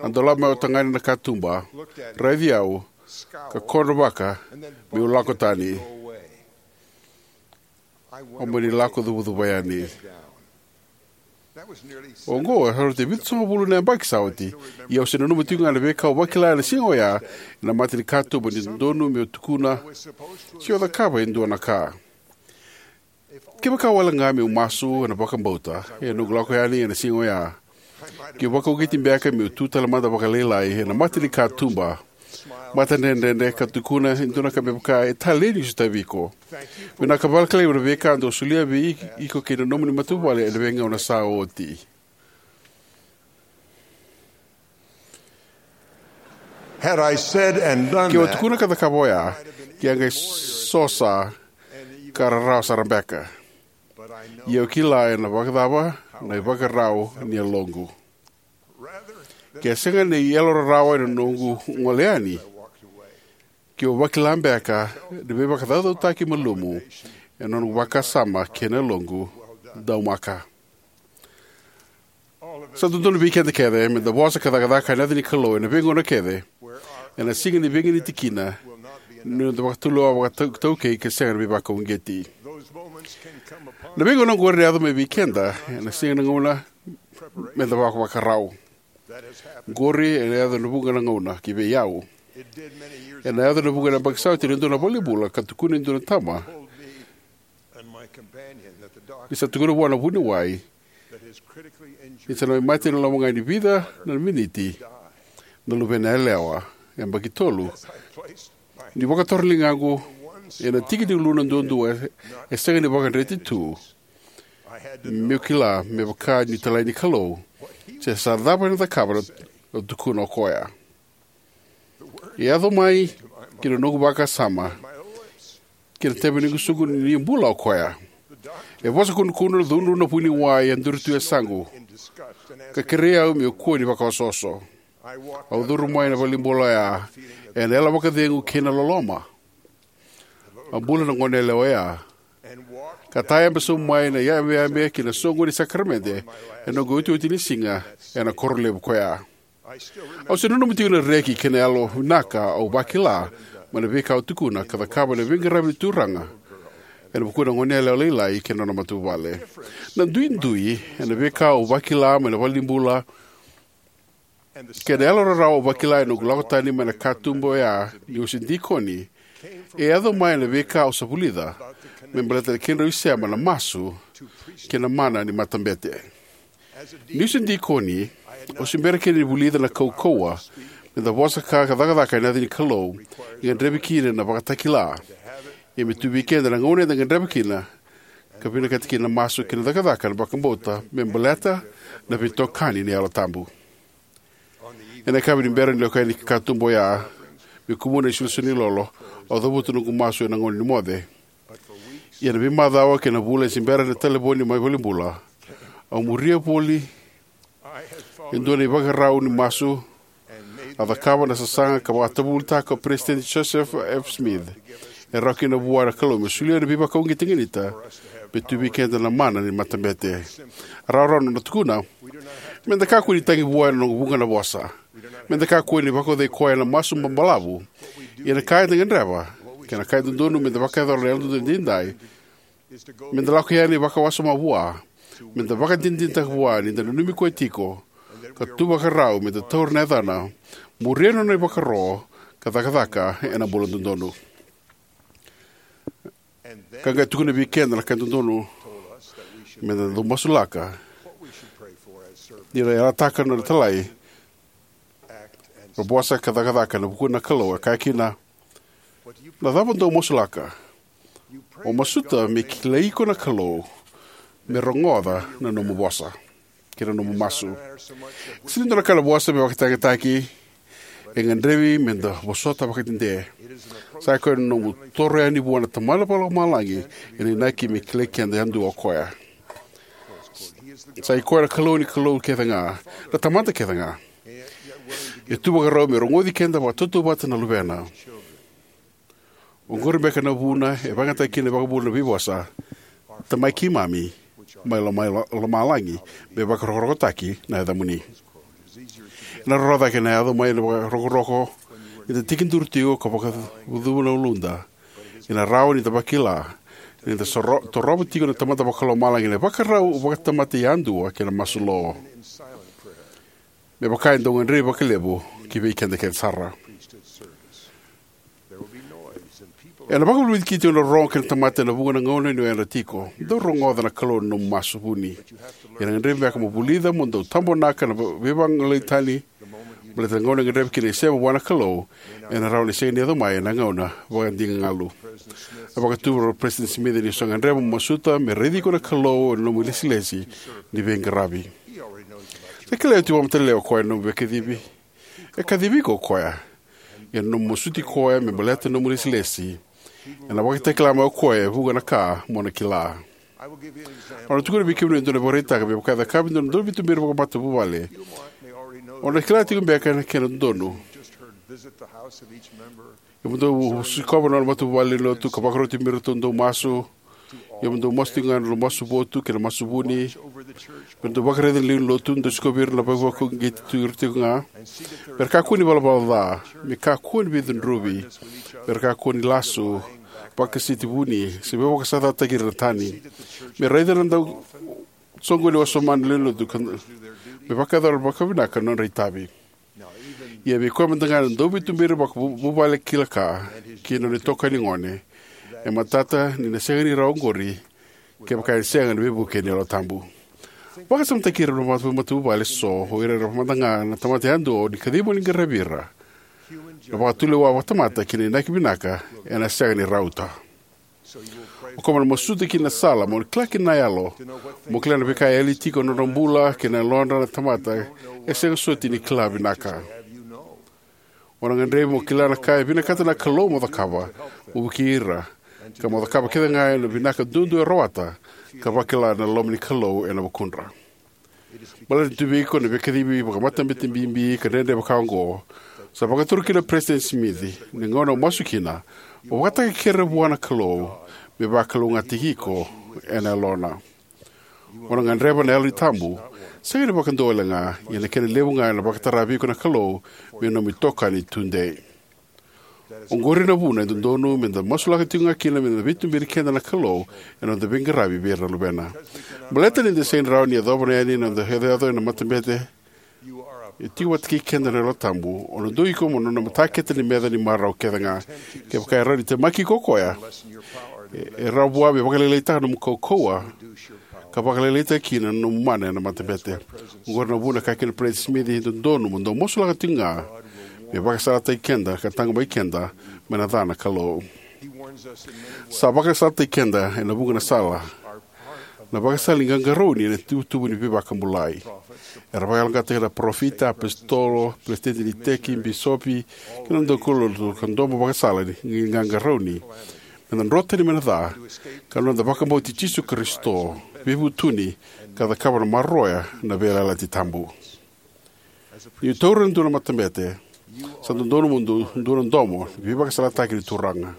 A dolava mai o tagane na katuba, raici au, ka kodrova meu lako tani. Au mani lako cuvacuva yani. Oqo e sa oti e vitusagavulu na yabaki sa oti, ia au se nanuma tiko ga na veika au vakila ena siga oya ena mata ni katuba ni dodonu meu tukuna se o cakava e dua na ka. Kevaka wale ga meu masu ena vakabauta ena noqu lako yani ena siga oya, keu vakauqeti beka meu tu tale mada vakalailai ena mata ni katuba, matadredredre, ka tukuna e dua na ka me vaka, "E talei niu sotavi iko. Vinaka vakalevu na veika dou solia vei iko kei na nomuni matavuvale ena veigauna sa oti." Had I said and done Keu a that, tukuna ka cakava oya, ke a qai sosa ka rarawa sara beka. Ia au kila ena vakacava na ivakarau ni yaloqu. Ke sega na iyalo rarawa ena noqu gole yani, keu vakila beka na veivakacaucautaki malumu ena noqu vakasama kei na yaloqu. Daumaka. Sa dodonu vei keda kece me da vosa ka cakacaka ena yaca ni Kalou ena veigauna kece, ena siga ni veiganiti kina ni noda vakatulewa vakaitaukei ka sega na veivakauqeti. Na veigauna oqori e yaco mai vei keda ena siga na gauna me da vakavakarau. Oqori ena yaco ena vuqa na gauna ki vei au. Ena yaco ena vuqa na yabaki sa oti ena dua na valenibula ka tukuna e dua na tama ni sa tukuna vua na vuniwai ni sa na mai mate ena loma ga ni vica na miniti na luvena yalewa, yabaki tolu. Niu vakatora na ligaqu ena tiki ni uluna duadua e sega ni vakadreti tu, meu kila me vaka niu talai ni Kalou se sa cava ena cakava na tukuna o koya. E yaco mai ki na noqu vakasama kei na tebenigusuqu ni bula o koya. E vosa kudrukudru, cudru na vuniwai e duri tu e yasaqu ka kerei au meu kua ni vakaosooso. Au curu mai na valenibula oya ena yalo vakacegu kei na loloma. A bula na goneyalewa oya ka tayabe sobu mai na yabeyabe ki na soqoni ni sakaramede ena noqu iotioti ni siga ena koro levu koya. Au se nanuma tiko na reki kei na yalo vinaka au vakila mai na veika au tukuna ka cakava ena veiqaravi ni Turaga ena vuku ni goneyalewa lailai kei na nona matavuvale. Na duidui ena veika au vakila mai na valenibula kei na yalo rarawa au vakila ena noqu lako tani mai na katuba oya niu se dikoni e yaco mai na veika au sa vulica me baleta na kedrau isema na masu kei na mana ni matabete. Niu se dikoni, au se bera kina ni vulica na kaukauwa me da vosa ka cakacaka ena yaca ni Kalou e gadrevi kina na vakatakila. Ia me tu vei keda na gauna eda gadreva kina ka vinakata kina na masu kei na cakacaka na vakabauta me baleta na veitokani ni Yalo Tabu. Ena yakavi ni bera niu lako yani ki katuba oya me kumuna na isolisoli ni lolo, au cavuta noqu masu ena gauna ni moce. Ia na veimacawa kei na vula e se bera na talevoni mai valenibula. Au muria voli e dua na ivakarau ni masu a cakava na sasaga ka vakatavulitaka o Peresitedi Joseph F. Smith. E rawa kina vua na Kalou me solia na veivakauqeti e ganita me tu vei keda na mana ni matabete. Rawarawa na nona tukuna: "Me da kakua ni tagi vua ena noqu vuqa na vosa. Me da kakua ni vakaocai koya ena masu babalavu. Ia na ka eda gadreva, kei na ka e dodonu me da vakayacora ena Yalododonu Edaidai, me da lako yani vakawasoma vua, me da vakadinadinataka vua ni da nanumi koya tiko, ka tu vakarau me da taura na yacana, muria na nona ivakaro, ka cakacaka ena bula dodonu." Ka qai tukuna vei keda na ka e dodonu me da dau masulaka. Ni ra yalataka na nona italai, ra vosa ka cakacaka ena vukuna na Kalou, e kaya kina: "Na cava dou masulaka? O masuta me kilai iko na Kalou, me rogoca na nomu vosa kei na nomu masu." Sega ni dua na ka na vosa me vakayagataki, E gadrevi me da vosota vakadede. Sa i koya na nomu toro yani vua na Tamada Vakalomalagi ena inaki me kilai keda yadua o koya. Sa i koya na Kalou ni kalou kece ga, na tamata kece ga. E tu vakarau me rogoci keda vakatautauvata na luvena. Oqori beka na vuna e vakayagataka kina na iVakabula na veivosa: Tamai keimami mai loma, lomalagi, me vakarokorokotaki na yacamuni. Ena roro cake na yaco mai na vakarokoroko ni da tekiduru tiko ka vakacuva na uluda. Ena rawa ni da vakila ni da soro, torova tiko na Tamada Vakalomalagi ena ivakarau vakatamata yadua kei na masu lo, me vaka e dau gadrevi vakalevu ki vei keda kece sara. Ena vakavulici tiko na rorogo kei na tamata ena vuqa na gauna ni o yadra tiko. Dau rogoca na Kalou ena nomu masu vuni. Ia ena gadrevi beka mo vulica mo dau tabonaka na veivagolei tani, baleta na gauna e gadrevi kina na isema vua na Kalou ena rawa ni sega ni yaco mai ena gauna vakadigagalu. A vakaturi o Peresitedi Simici ni sa gadreva mo masuta me raici iko na Kalou ena nomu ilesilesi ni veiqaravi. Sa kilai oti vakamatailalai o koya na nomu veikacivi. E kacivi iko o koya. Ia na nomu masuti koya me baleta na nomu ilesilesi, ena vakatakila mai o koya e vuqa na ka mo na kila. Au na tukuna vei kemuni e dua na ivakaraitaki me vaka e cakava e dua na dauveituberi vakamatavuvale. O na kila tiko beka na kena dodonu. Ia mo dou sikova na nona matavuvale ni lotu ka vakaroti me ratou dau masu. Ia mo dou masu tiko ga ena masu votu kei na masu vuni. Me dou vakaraica na lewe ni lotu, dou sikovi ira na veivakauqeti tu ira tiko ga. Me ra kakua ni valavala ca, me kakua ni veicudruvi, me ra kakua ni lasu, vakasiti vuni, se veivakasaqarataki ira na tani. Me raica na dau soqoni wasoma na lewe ni lotu ka, me vakayacora vakavinaka na nodra itavi. Ia vei koya mada ga na dauveituberi vakavuvale kila ka kei na nona itokani gone, e matata ni na sega ni rawa oqori kevaka e sega na veivuke ni Yalo Tabu. Vakasamataki ira na matavuvale eso, o ira era mada ga na tamata yadua o ni kacivi mo ni qaravi ira. Na vakatulewa vakatamata kei na inaki vinaka ena sega ni rauta. O koya mo na masuta kina na sala mo kila kina na yalo, mo kila na veika e yali tiko ena nodra bula kei na yalodra na tamata e sega soti ni kila vinaka. O na gadrevi mo kila na ka e vinakata na Kalou mo cakava, mo vukei ira, ka mo cakava kece ga ena vinaka duadua e rawata, ka vakila na loma ni Kalou ena vukudra. Baleta ni tu vei iko na veikacivi vakamatabete bibi ka dredre vaka oqo, sa vakatura kina o Peresitedi Simici, ni gauna o masu kina, mo vakataka kere vua na Kalou me vakalougatataki iko ena yalona. O na gadreva na Yalo Tabu, sega ni vakadua wale ga, ia na kena levu ga ena vakatara vei iko na Kalou me nomu itokani tudei. Oqori na vuna e dodonu me da masulaka tiko ga kina me da veituberi keda na Kalou ena noda veiqaravi vei ira na luvena. Baleta ni da sega ni rawa ni yacova yani na noda yacoyaco ena matabete, e tiko vata kei keda na Yalo Tabu. O na dua iko mo nona matakete ni meca ni marau kece ga. Kevaka e rawa ni temaki iko o koya, e, e rawa vua me vakalailaitaka na nomu kaukauwa, ka vakalailaitaka kina na nomu mana ena matabete. Oqori na vuna e kaya kina o Peresitedi Simici, e dodonu mo dou masulaka tiko ga me vakasalataki keda ka taqomaki keda mai na ca na Kalou. Sa vakasalataki keda ena vuqa na sala. Na vakasala ni qaqarauni ena ituvatuva ni veivakabulai. Era vakayaloqaqataki na parofita, apositolo, peresitedi ni iteki, bisopi, kei na daukaulotu ka domo vakasala ni qaqarauni. Me da dro tani mai na ca, ka noda vakabauti Jisu Karisito, veivutuni, ka cakava na maroroya na veiyalayalati tabu. Niu taura e dua na matabete, sa dodonu mo dua, dua na domo ni veivakasalataki ni Turaga.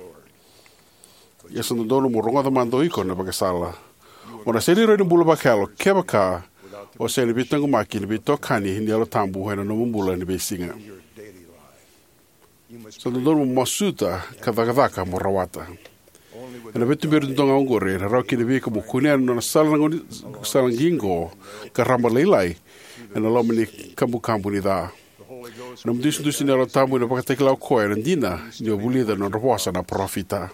Ia sa dodonu mo rogoca mada o iko na vakasala. O na sega ni rawa ni bula vakayalo kevaka o sega ni veitaqomaki ni veitokani ni Yalo Tabu ena nomu bula ni veisiga. Sa dodonu mo masuta ka cakacaka mo rawata. Ena veituberi dodonu ga oqori, ena rawa kina vei iko mo kunea na nona sala na gauna, sala qiqo ka raba lailai ena loma ni kabukabu ni ca. Na nomu idusidusi ni Yalo Tabu ena vakatakila o koya na dina ni o vulica na nodra vosa na parofita.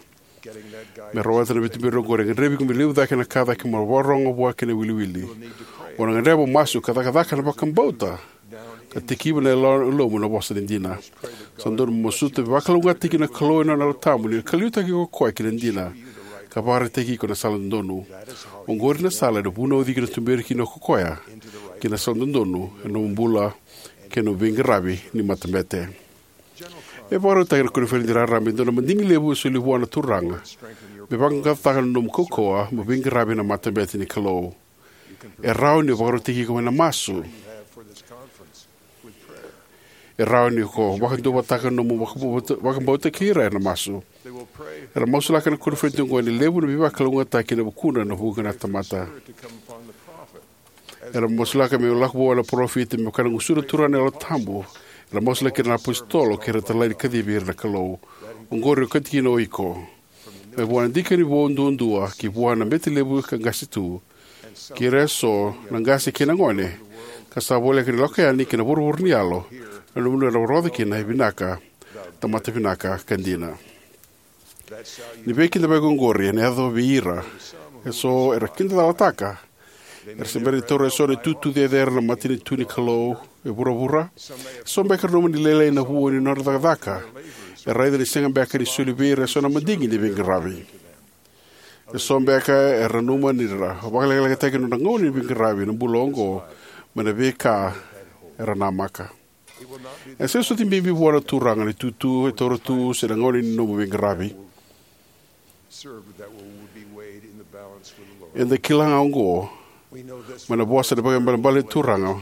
Me rawata na veituberi oqori, e gadrevi iko me levu cake na ka cake mo vakarorogo vua kei na iwiliwili. O na gadreva mo masu ka cakacaka na vakabauta, ka tikiva na yalo, yalomu na vosa ni dina. Sa dodonu mo masuta me vakalougatataki na Kalou ena nona Yalo Tabu, ni na kaliutaki iko o koya ki na dina, ka vakaraitaki iko na sala dodonu. Oqori na sala ena vunauci iko, na tuberi kina o koya ki na sala dodonu ena nomu bula kei na nomu veiqaravi ni matabete. E vakarautaki ena koniferedi raraba e dua na madigi levu e soli vua na Turaga me vaqaqacotaka na nomu kaukauwa mo veiqaravi ena matabete ni Kalou. E rawa ni o vakarautaki iko ena masu. E rawa ni ko vakaduavatataka na nomu vakabauta, vakabauta kei ira ena masu. Era masulaka ena koniferedi oqo ena levu na veivakalougatataki ena vukudra ena vuqa na tamata. Era masulaka me lako vua na parofita me vaka na gusuna Turaga na Yalo Tabu. Era masulaki ira na apositolo kei ira na talai ni kacivi ira na Kalou. Oqori e okati kina o iko. Mai vua na dikeva ni vou duadua ki vua na bete levu ka qase tu, kei ira eso na qase kei na gone ka sa voleka ni lako yani ki na vuravura ni yalo, na vanua era rogoca kina e vinaka, tamata vinaka ka dina. Ni veikidavaki oqori ena yaco vei ira eso era kidacalataka era se bera ni taura eso na itutu cecere na matanitu ni Kalou e vuravura. Eso beka era nanuma ni lailai na vua ni nodra cakacaka. Era raica ni sega beka ni soli vei ira eso na madigi ni veiqaravi. Eso beka era nanuma ni ra vakalekalekataki na nodra gauna ni veiqaravi ena bula oqo mai na veika era namaka. E sega soti bibi vua na Turaga na itutu e taura tu se na gauna ni nomu veiqaravi. Eda kila ga oqo mai na vosa ni vakaibalebale ni Turaga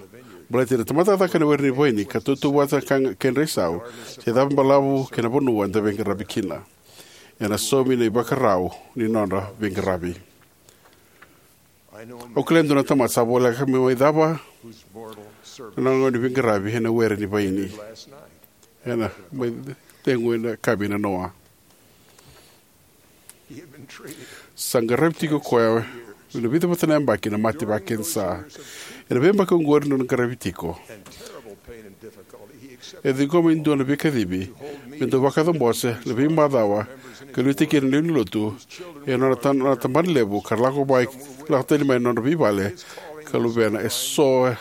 baleti ira na tamata cakacaka ena were ni vaini ka tautauvata na kedra isau, se cava balavu kei na vanua eda veiqaravi kina. Ena saumi na ivakarau ni nodra veiqaravi. Au kila e dua na tamata sa voleka me mai cava na nona gauna ni veiqaravi ena were ni vaini ena mai cegu ena yakavi na noa. Sa qaravi tiko o koya ena vica vata na yabaki na mate vakakenisa. Ena veiyabaki oqori ni nona qaravi tiko, e ciqoma e dua na veikacivi me dau vakacabose na veimacawa ka liutaki ira na lewe ni lotu e nona ta- nona tabana levu ka lako mai, lako tani mai na nodra veivale ka luvena eso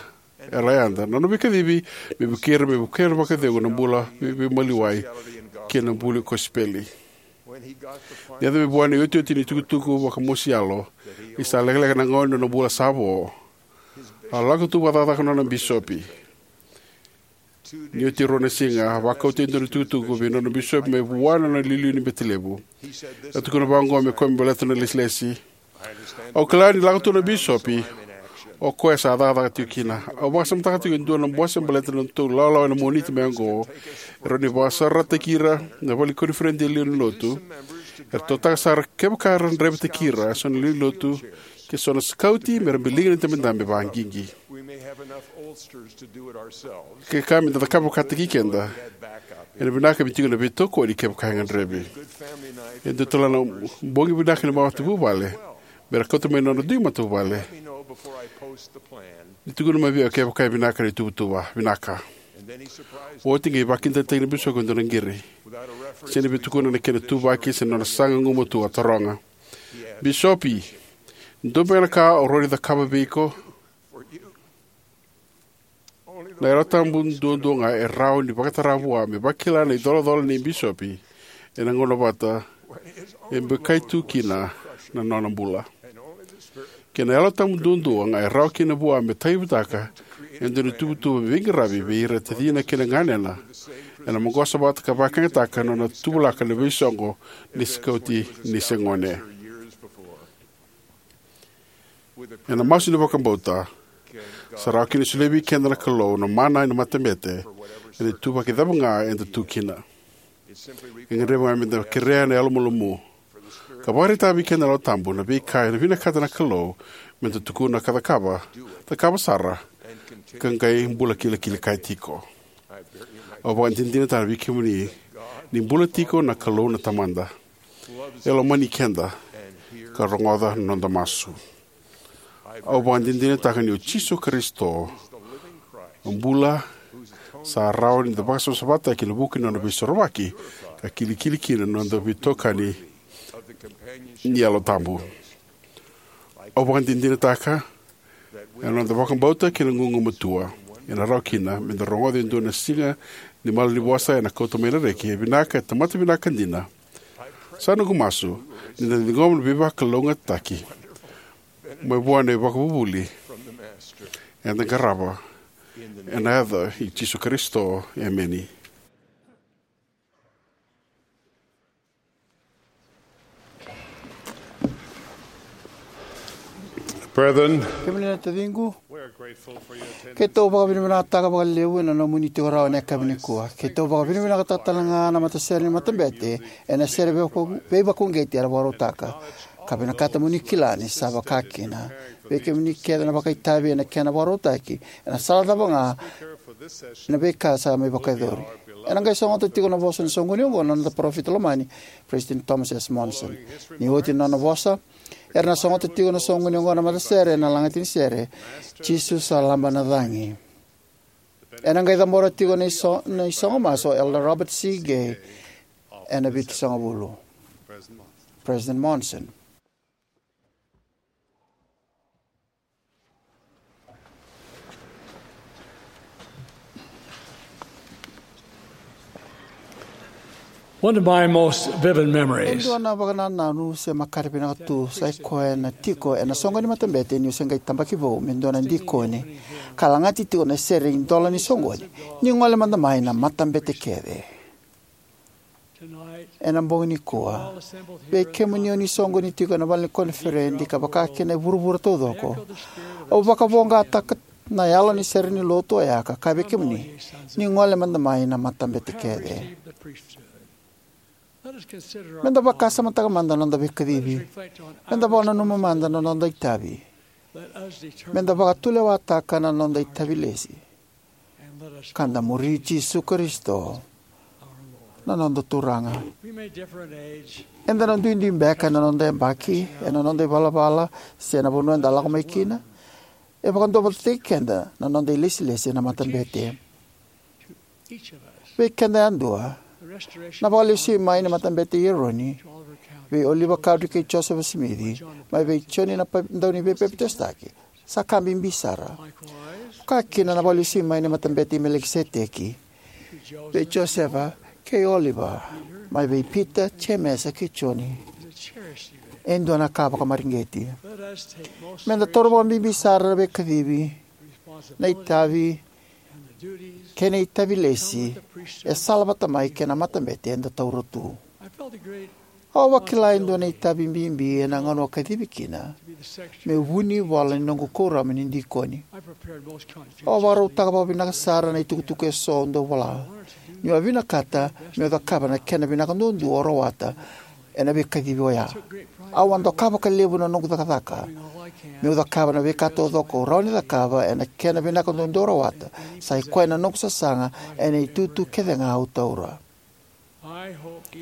era yada. Na nona veikacivi me vukei ira me vukea vakacegu na bula vei- veimaliwai kei na buli kosipeli. Ni yaco mai vua na iotioti ni tukutuku vakamosi yalo ni sa lekaleka na gauna ni nona bula sa vo, a lako tu vakacakacaka na nona bisopi. Ni oti e rua na siga, a vakauta e dua na itukutuku vei nona bisopi mai vua na nona iliuliu ni bete levu. A tukuna vaqo me kua me baleta na lesilesi: "Au kila ni lako tu na bisopi, o koya sa cakacaka tiko kina. Au vakasamataka tiko e dua na bose baleta na nodatou lawalawa ena Moniti mai oqo. Era ni vakasaurarataki ira na vale ni koniferedi e liu ni lotu. Era totaka sara kevaka era draivataki ira eso na lewe ni lotu kei so na sikauti me ra biliga na idabedabe vakaqiqi. Ke ka me da cakava vakataki keda, ena vinaka me tiko na veitokoni kevaka e gadrevi." E dua tale na bogi vinaka ni matavuvale me ra kauta mai na nodra dui matavuvale. Ni tukuna mai vei au kevaka e vinaka na ituvatuva vinaka. Oti qai vakidaitaki na bisopi e dua na qiri. Sega ni via tukuna na kena ituvaki se na nona saga gumatua, a taroga: "Bisopi, dua beka na ka au rawa ni cakava vei iko?" Na Yalo Tabu duadua ga e rawa ni vakatara vua me vakila na icolacola nei bisopi ena gauna vata e bikai tu kina na nona bula. Kei na Yalo Tabu duadua ga e rawa kina vua me tauyavutaka e dua na ituvatuva veiqaravi vei ira na tacina kei na ganena ena maqosa vata ka vakayagataka na nona tuvalaka na veisoqo ni sikauti ni se gone. Ena masu ni vakabauta, sa rawa kina ni solia vei keda na Kalou na mana ena matabete ena ituvaki cava ga eda tu kina. E gadrevi ga me da kerea ena yalomalumalumu ka vakaraitaka vei keda na Yalo Tabu na veika e vinakata na Kalou me da tukuna ka cakava, cakava sara, ka qai bula kilikili kaya tiko. Au vakadinadinataka vei kemuni ni bula tiko na Kalou na Tamada. E lomani keda ka rogoca na noda masu. Au vakadinadinataka ni o Jisu Karisito bula, sa rawa ni da vakasavasavataki ena vuku ni nona veisorovaki ka kilikili kina na noda veitokani ni Yalo Tabu. Au vakadinadinataka ena noda vakabauta kei na gugumatua, ena rawa kina me da rogoca e dua na siga ni malanivosa ena kauta mai na reki: "E vinaka, e tamata vinaka dina." Sa noqu masu ni da na ciqoma na veivakalougatataki mai vua na iVakavuvuli eda qarava, ena yaca i Jisu Karisito, emeni. Brethren, kemuni na taciqu, keitou vakavinavinakataka vakalevu ena nomuni tiko rawa ena yakavi nikua. Keitou vakavinavinakataka tale ga na matasere ni matabete ena sere veivakauqeti era vakarautaka, ka vinakata mo ni kila ni sa vaka kina. Vei kemuni kece na vakaitavi ena kena vakarautaki, ena sala cava ga na veika sa mai vakayacori. Ena qai sogota tiko na vosa ni soqoni oqo na noda parofita lomani, President Thomas S. Monson. Ni oti na nona vosa, era na sogota tiko na soqoni oqo na matasere ena lagati ni sere, Jisu sa Laba na Cagi. Ena qai cabora tiko na iso-, na isogo masu o Elder Robert C. Gay ena vitusagavulu. President Monson. One of my most vivid memories. E dua na vakanananu se makare vinaka tu sa i koya na tiko ena soqo ni matabete niu se qai tabaki vou me dua na dikoni, ka lagati tiko na sere idola ni soqoni, Ni Gole Mada Mai na Matabete Kece. Ena bogi nikua, vei kemuni o ni soqoni tiko ena vale ni koniferedi ka vaka kina e vuravura taucoko, au vakavoqataka na yalo ni sere ni lotu oya ka kaya vei kemuni, Ni Gole Mada Mai na Matabete Kece. Meda vakasamataka mada na noda veikacivi. Meda vakananuma mada na noda itavi. Meda vakatulewataka na noda itavi lesi, ka da muri Jisu Karisito na noda Turaga. Eda na duidui beka ena noda yabaki, ena noda ivalavala, se na vanua eda lako mai kina. E vakaduavatataki keda na noda ilesilesi ena matabete. Vei keda yadua, na vakalesui mai ni Matabete i Eroni vei Oliver Cowdery kei Joseph Smith, mai vei Joni na Pa-, Dauveipapitaisotaki, sa ka bibi sara. Vaka kina na vakalesui mai ni Matabete i Melikiseteki vei Josefa kei Oliver, mai vei Pita, Jemesa kei Joni, e dua na ka vakamareqeti. Meda taura vakabibi sara na veikacivi, na itavi, kei na itavi lesi e sala vata mai kei na matabete eda taura tu. Au a vakila e dua na itavi bibi ena gauna au kacivi kina meu vunivola ni noqu kuoramu ni dikoni. Au a vakarautaka vakavinaka sara na itukutuku eso au dau vola, niu a vinakata meu cakava na kena vinaka duadua au rawata ena veikacivi oya. Au a doka vakalevu na noqu cakacaka meu cakava na veika taucoko au rawa ni cakava ena kena vinaka duadua au rawata. Sa i koya na noqu sasaga ena itutu kece ga au taura.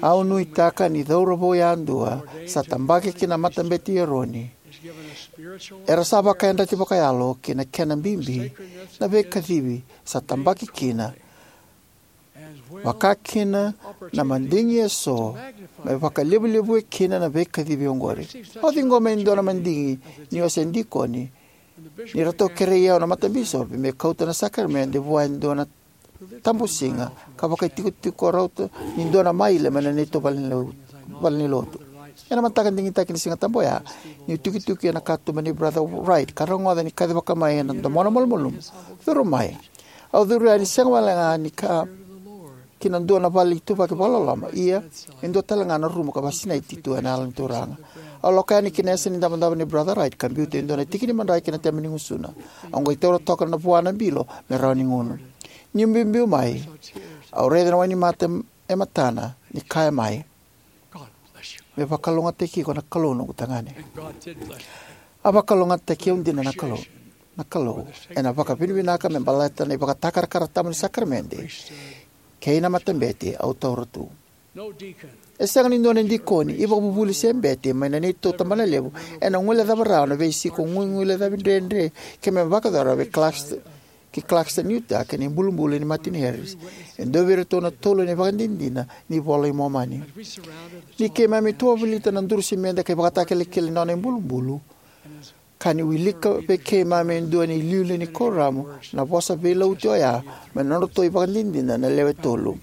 Au nuitaka ni cauravou yadua sa tabaki ki na Matabete i Eroni era sa vakayadrati vakayalo ki na kena bibi na veikacivi sa tabaki kina, vaka kina na madigi eso me vakalevulevui kina na veikacivi oqori. Au ciqoma e dua na madigi niu a se dikoni ni ratou kerei au na matabisopi me kauta na sakaramede vua e dua na tabusiga ka vakaitikotiko rauta ni dua na maile mai na neitou valenilotu. Ena mataka digitaki ni Sigatabu oya, niu tukituki ena katuba nei Brother Wright ka rogoca ni kacivaka mai ena domona malumalumu, curu mai. Au curu yani sega walega ni ka ki na dua na vale ituvaki vakaloloma, ia e dua talega na rumu ka vakasinaiti tu ena yalo ni Turaga. Au lako yani ki na yasa ni davodavo nei Brother Wright ka biuta e dua na tiki ni madrai ki na tebe ni gusuna. Au qai taura toka vua na bilo me rawa ni gunu. Niu biubiu mai, au raica na wainimate e matana ni kaya mai, "Me vakalougatataki iko na Kalou, noqu tagane." A vakalougatataki au dina na Kalou, na Kalou, ena vakavinavinaka me baleta na ivakatakarakara tabu ni sakaramede kei na matabete au taura tu. E sega ni dua na dikoni, ivakavuvuli se bete mai na neitou tabanalevu ena guilecava rawa na veisiko guiguilecavi dredre keimami vakayacora vei Clarkston, ki Clarkston, Utah, kei na ibulubulu nei Martin Harris, e dua vei iratou na tolu na ivakadinadina ni iVola i Momani. Ni keimami tuwavolita na duru simede ka ivakatakilakila ni nona ibulubulu, ka ni wilika vei keimami e dua na iliuliu ni kuoramu na vosa veilauti oya mai na nodratou ivakadinadina na lewe tolu,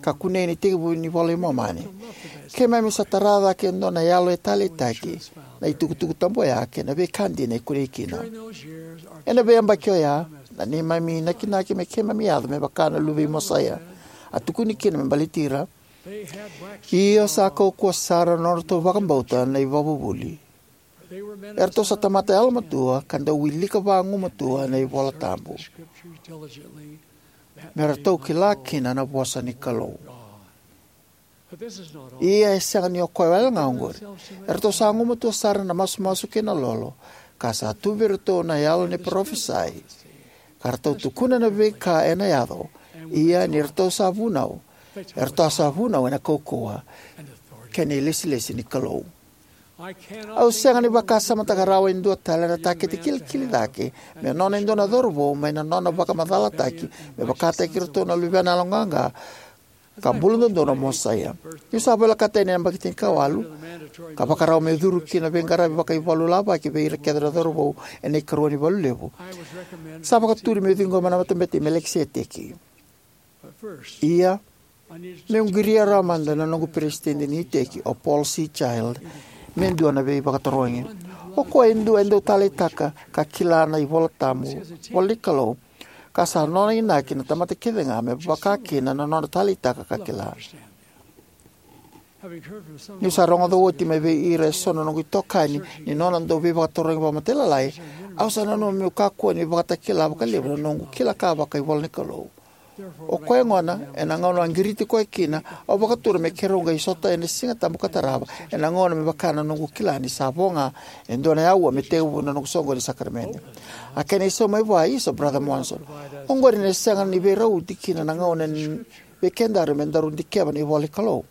ka kunei ena itekivu ni iVola i Momani, keimami sa tara cake e dua na yalo e taleitaki na itukutuku tabu oya kei na veika dina e kunei kina. Ena veiyabaki oya, na neimami inakinaki me keimami yaco me vaka na luve i Mosaia a tukuni kina me baleti ira, io, sa kaukauwa sara na nodratou vakabauta na ivakavuvuli, Eratou sa tamata yalomatua ka dau wilika vagumatua na iVola Tabu me ratou kila kina na vosa ni Kalou. Ia e sega ni o koya wale ga oqori. Eratou sa gumatua sara na masumasu kei na lolo, ka sa tu vei iratou na yalo ni parofisai, ka ratou tukuna na veika ena yaco. Ia ni ratou sa vunau, eratou sa vunau ena kaukauwa kei na ilesilesi ni Kalou. Au sega ni vakasamataka rawa e dua tale na takete kilikili cake me nona e dua na cauravou mai na nona vakamacalataki me vakataki iratou na luvena yaloqaqa ka buladodonu o Mosaia. Niu sa volekata yani ena yabaki tinikawalu ka vakarau meu curu ki na veiqaravi vakaivalu lavaki vei ira kece na cauravou ena ikarua ni valu levu, sa vakaturi meu ciqoma na Matabete i Melikiseteki. Ia, meu qiria rawa mada na noqu peresitedi ni iteki, o Paul C. Child, me dua na veivakatarogi. O koya e dua e dau taleitaka ka kila na iVola Tabu, ivola ni Kalou, ka sa nona inaki na tamata kece ga me vakakina na nona taleitaka ka kila. Niu sa rogoca oti mai vei ira eso na noqu itokani ni nona dau veivakatarogi vakamatailalai, au sa nanuma meu kakua ni vakatakila vakalevu na noqu kila ka vakaivola ni Kalou. O koya gona, ena gauna a qiriti koya kina, au vakatura me keirau qai sota ena Siga Tabu ka tarava, ena gauna me vaka na noqu kila ni sa vo ga e dua na aua me tekivu na noqu soqoni ni sakaramede. A kena isau mai vua, "Isa, Brother Monson, oqori ena sega ni veirauti kina na gauna ni vei kedaru me daru dikeva na ivola ni Kalou."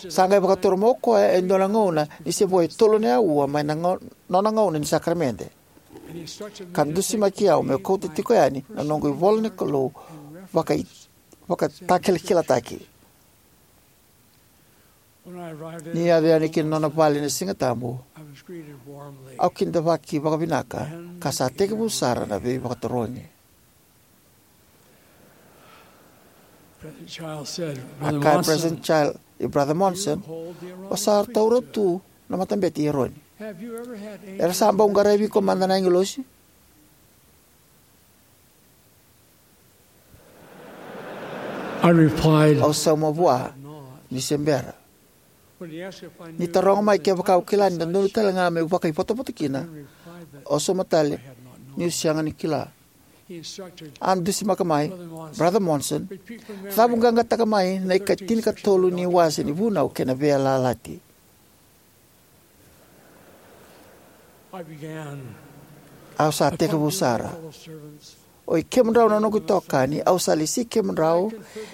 Sa qai vakatura mai o koya e dua na gauna ni se vo e tolu na aua mai na gau-, nona gauna ni sakaramede, ka dusimaki au meu kauta tiko yani na noqu ivola ni Kalou vakai-, vakatakilakilataki. Ni yaco yani ki na nona vale ena Siga Tabu, au kidavaki vakavinaka, ka sa tekivu sara na veivakatarogi. President Child said, A "Brother kaya Monson, President Child, "I Brother Monson, you hold the Aaronic o sa taura priesthood. Tu na Matabete i Eroni. Have you ever had angels Era sa bau qaravi iko mada na agilosi?" I replied, Au sauma vua, "Ni se bera." When he asked if I knew Ni taroga mai kevaka au kila ni dodonu tale ga meu vakaivotavota kina, I replied that au sauma tale, I had not known. Niu sega ni kila. He instructed, A dusimaka mai, "Brother Monson, Brother Monson, repeat from memory. Cavuqaqataka mai na ikatinikatolu ni wase ni Vunau kei na Veiyalayalati." I began Au sa tekivu sara. Oi kemudrau na noqu itokani, au sa lesi kemudrau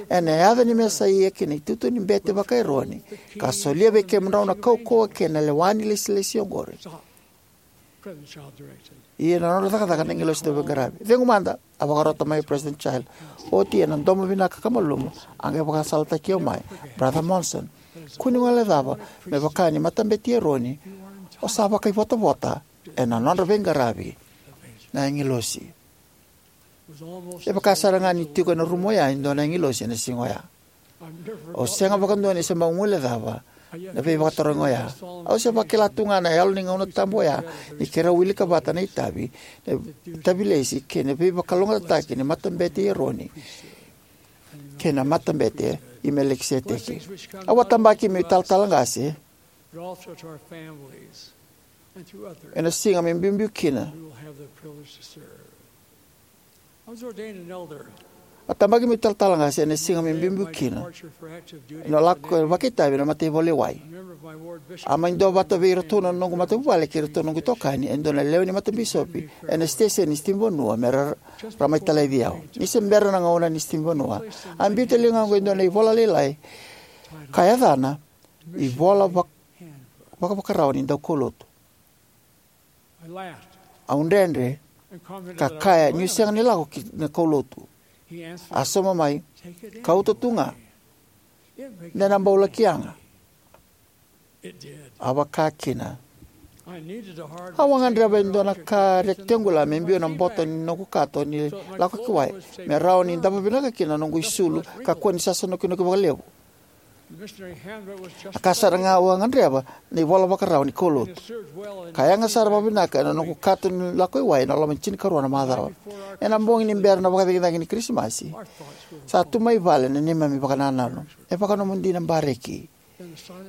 ena yaca ni Mesaia kei na itutu ni bete vaka-Eroni, ka solia vei kemudrau na kaukauwa kei na lewa ni ilesilesi oqori. Ia na nodra cakacaka na agilosi dauveiqaravi. Cegu mada, a vakarota mai o President Child. Oti ena domo vinaka ka malumu, a qai vakasalataki au mai, "Brother Monson, kua ni guilecava me vaka ni Matabete i Eroni, o sa vakaivotavota ena nodra veiqaravi na agilosi." E vaka sara ga ni tiko ena rumu oya e dua na agilosi ena siga oya. Au sega vakadua ni se bau guilecava na veivakatarogi oya. Au se vakila tu ga na yalo ni gauna tabu oya ni keirau wilika vata na itavi, na itavilesi kei na veivakalougatataki ni Matabete i Eroni kei na Matabete i Melikiseteki. Au a tabaki meu italatala qase, but also to our families and to others ena siga me biubiu kina. We will have the privilege to serve. I was ordained an elder. A tabaki meu italatala qase ena siga me biubiu kina. Departure for active duty. Ena lako vakaitavi ena mataivalu e wai. A member of my ward bishop. A mai dua vata vei iratou na noqu matavuvale kei iratou noqu itokani e dua na lewe ni matabisopi ena siteseni ni sitimanivanua me ra, ra mai talaivi au. Ni se bera na gauna ni sitimanivanua, a biuta e ligaqu e dua na ivola lailai ka yacana iVola Vak-, Vakavakarau ni Daukaulotu. I laughed. Au dredre and commented ka that I kaya niu sega ni lako ki na kaulotu. He answered, a sauma mai, "Take it anyway. Kauta tu ga. It makes me happy." De na bau laki yaga. It did. A vaka kina. I needed a hard rectangular object to put in the sand. Au a gadreva e dua na ka rectangular me biu ena bota ni noqu kato ni lako ki wai, me rawa ni davo vinaka kina na noqu isulu, kakua ni sasa nokinoki vakalevu. A ka sara ga au a gadreva na iVola Vakarau ni Kaulotu. Ka yaga sara vakavinaka ena noqu kato ni lako i wai ena loma ni tinikarua na macawa. Ena bogi ni bera na vakacagicagi ni Kirisimasi, sa tu mai vale na neimami vakanananu. E vakanomodi na bareki.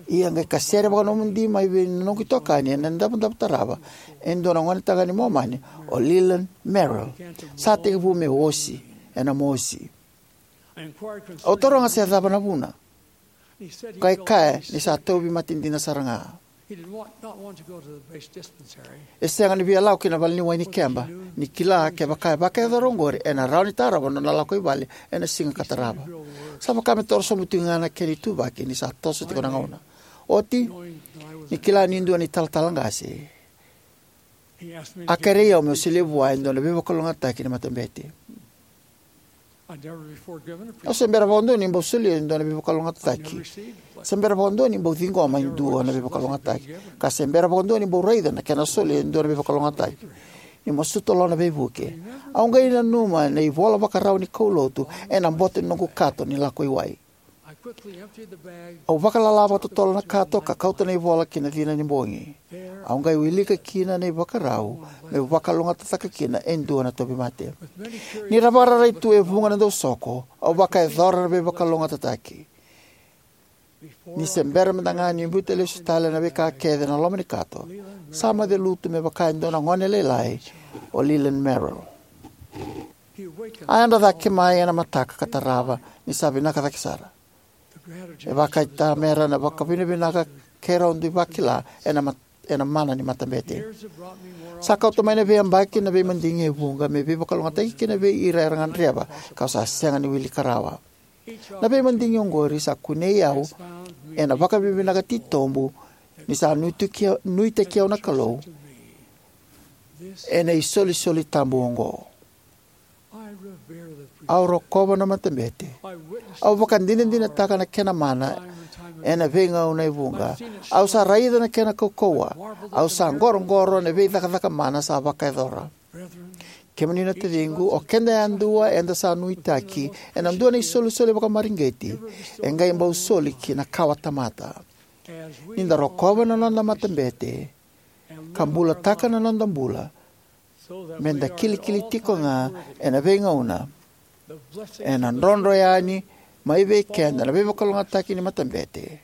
Ia qai kasere vakanomodi mai vei na noqu itokani ena davodavo tarava e dua na gonetagane Momani, o Leland Merrill. Sa tekivu me osi ena mosi. Au taroga se cava na vuna. Qai kaya ni sa tauvimate dina sara ga. E sega ni via lako ki na vale ni wai ni keba, ni kila kevaka e vakayacora oqori ena rawa ni tarova na nona lako i vale ena siga ka tarava. Sa vaka me toro sobu tiko ga na kena ituvaki ni sa toso tiko na gauna. Oti, ni kila niu dua na italatala qase, a kerei au meu solia vua e dua na veivakalougatataki ni matabete. Au se bera vakadua ni bau solia e dua na veivakalougatataki. Se bera vakadua ni bau ciqoma e dua na veivakalougatataki. Ka se bera vakadua ni bau raica na kena solia e dua na veivakalougatataki. Ni masuta lo na veivuke. Au qai nanuma na ivola vakarau ni kaulotu ena boto ni noqu kato ni lako i wai. Au vakalala vakatotolo na kato ka kauta na ivola ki na cina ni bogi. Au qai wilika kina na ivakarau meu vakalougatataka kina e dua na tauvimate. Ni ra vakararai tu e vuqa na dausoko, au vakayacora na veivakalougatataki. Ni se bera mada ga ni biuta lesu tale na veika kece na loma ni kato, sa moce lutu me vaka e dua na gone lailai o Leland Merrill. A yadra cake mai ena mataka ka tarava ni sa vinaka cake sara. E vakaitamera na vakavinavinaka kei rau dui vakila ena mat-, ena mana ni matabete. Sa kauta mai na veiyabaki na veimadigi e vuqa me veivakalougatataki kina vei ira era gadreva, kau sa sega ni wilika rawa. Na veimadigi oqori sa kunei au ena vakavinavinaka titobu ni sa nuitaki au, nuitaki au na Kalou ena isolisoli tabu oqo. Au rokova na matabete. Au vakadinadinataka na kena mana ena veigauna e vuqa. Au sa raica na kena kaukauwa. Au sa qoroqoro ena veicakacaka mana sa vakayacora. Kemuni na taciqu, o keda yadua eda sa nuitaki ena dua na isolisoli vakamareqeti e qai bau soli ki na kawatamata. Ni da rokova na noda matabete ka bulataka na noda bula, me da kilikili tiko ga ena veigauna ena drodro yani mai vei keda na veivakalougatataki ni matabete.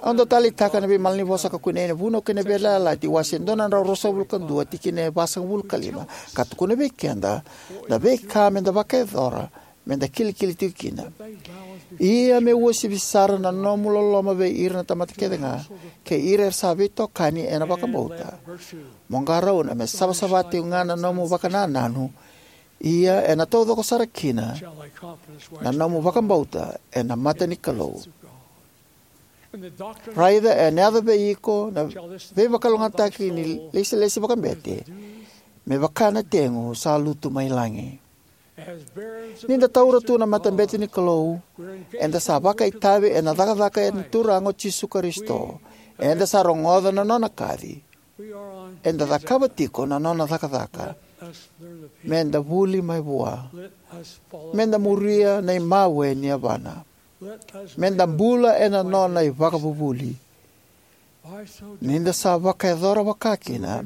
Au dau taleitaka na veimalanivosa ka kunei ena Vunau kei na Veiyalayalati, wase dua na drau ruasagavulu ka dua, tikina e vasagavulu ka lima, ka tukuna vei keda na veika me da vakayacora me da kilikili tiko kina. Ia me uasivi sara na nomu loloma vei ira na tamata kece ga, kei ira era sa veitokani ena vakabauta. Mo qarauna me savasava tiko ga na nomu vakanananu, ia ena taucoko sara kina na nomu vakabauta ena mata ni Kalou. Raica ena yaco vei iko na veivakalougatataki ni lesilesi vakabete, me vaka na tegu sa lutu mai lagi. Ni da taura tu na matabete ni Kalou, eda sa vakaitavi ena cakacaka ni Turaga o Jisu Karisito. Eda sa rogoca na nona kaci. Eda cakava tiko na nona cakacaka. Me da vuli mai vua. Me da muria na imawe ni yavana. Me da bula ena nona ivakavuvuli. Ni da sa vakayacora vakakina,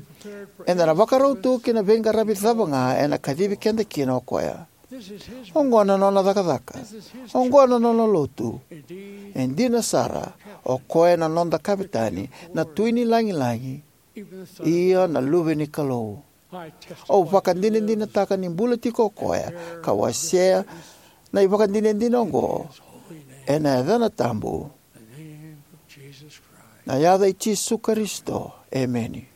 eda na vakarau tu ki na veiqaravi cava ga ena kacivi keda kina o koya. Oqo na nona cakacaka. Oqo na nona lotu. E dina sara, o koya na noda kavetani, na Tui ni Lagilagi, io na Luve ni Kalou. Au vakadinadinataka ni bula tiko o koya ka wasea na ivakadinadina oqo ena yacana tabu, na yaca i Jisu Karisito. Emeni.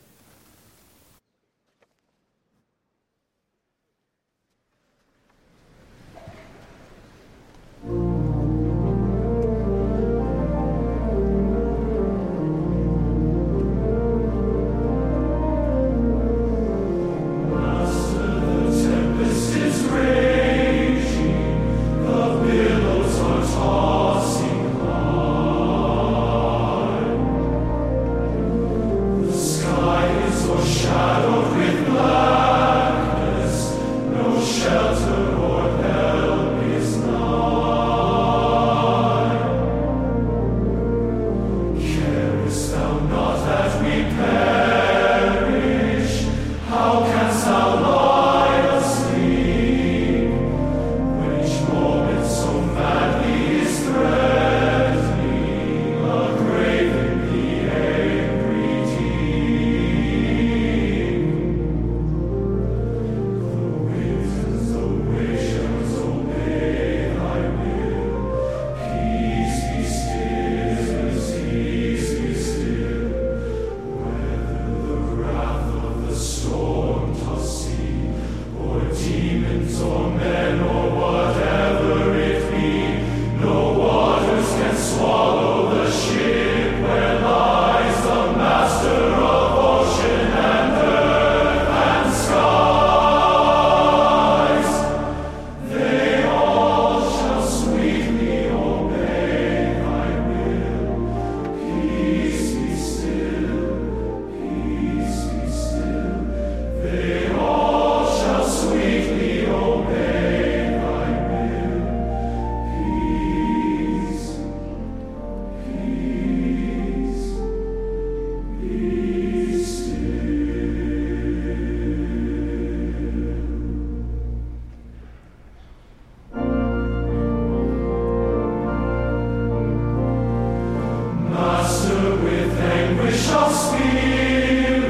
Anguish of spirit,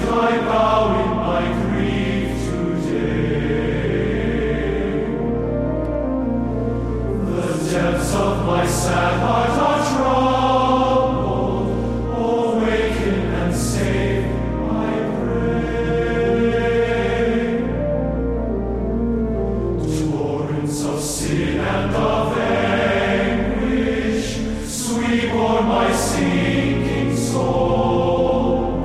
I bow in my grief today. The depths of my sad heart are troubled. Awaken and save, I pray. Torrents of sin and of anguish sweep o'er my sinking soul,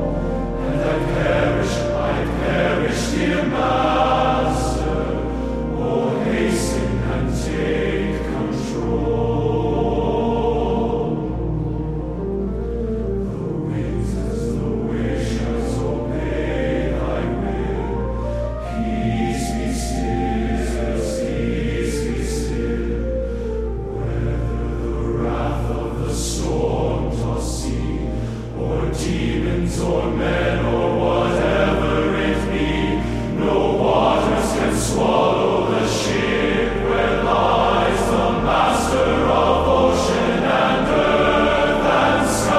and I perish, I perish, dear Master. Oh, hasten and take control. The winds as the waves shall obey thy will. Peace be still, peace be still. Whether the wrath of the storm tossed sea, or demons, or men, or whatever it be, no waters can swallow the ship where lies the master of ocean and earth and skies.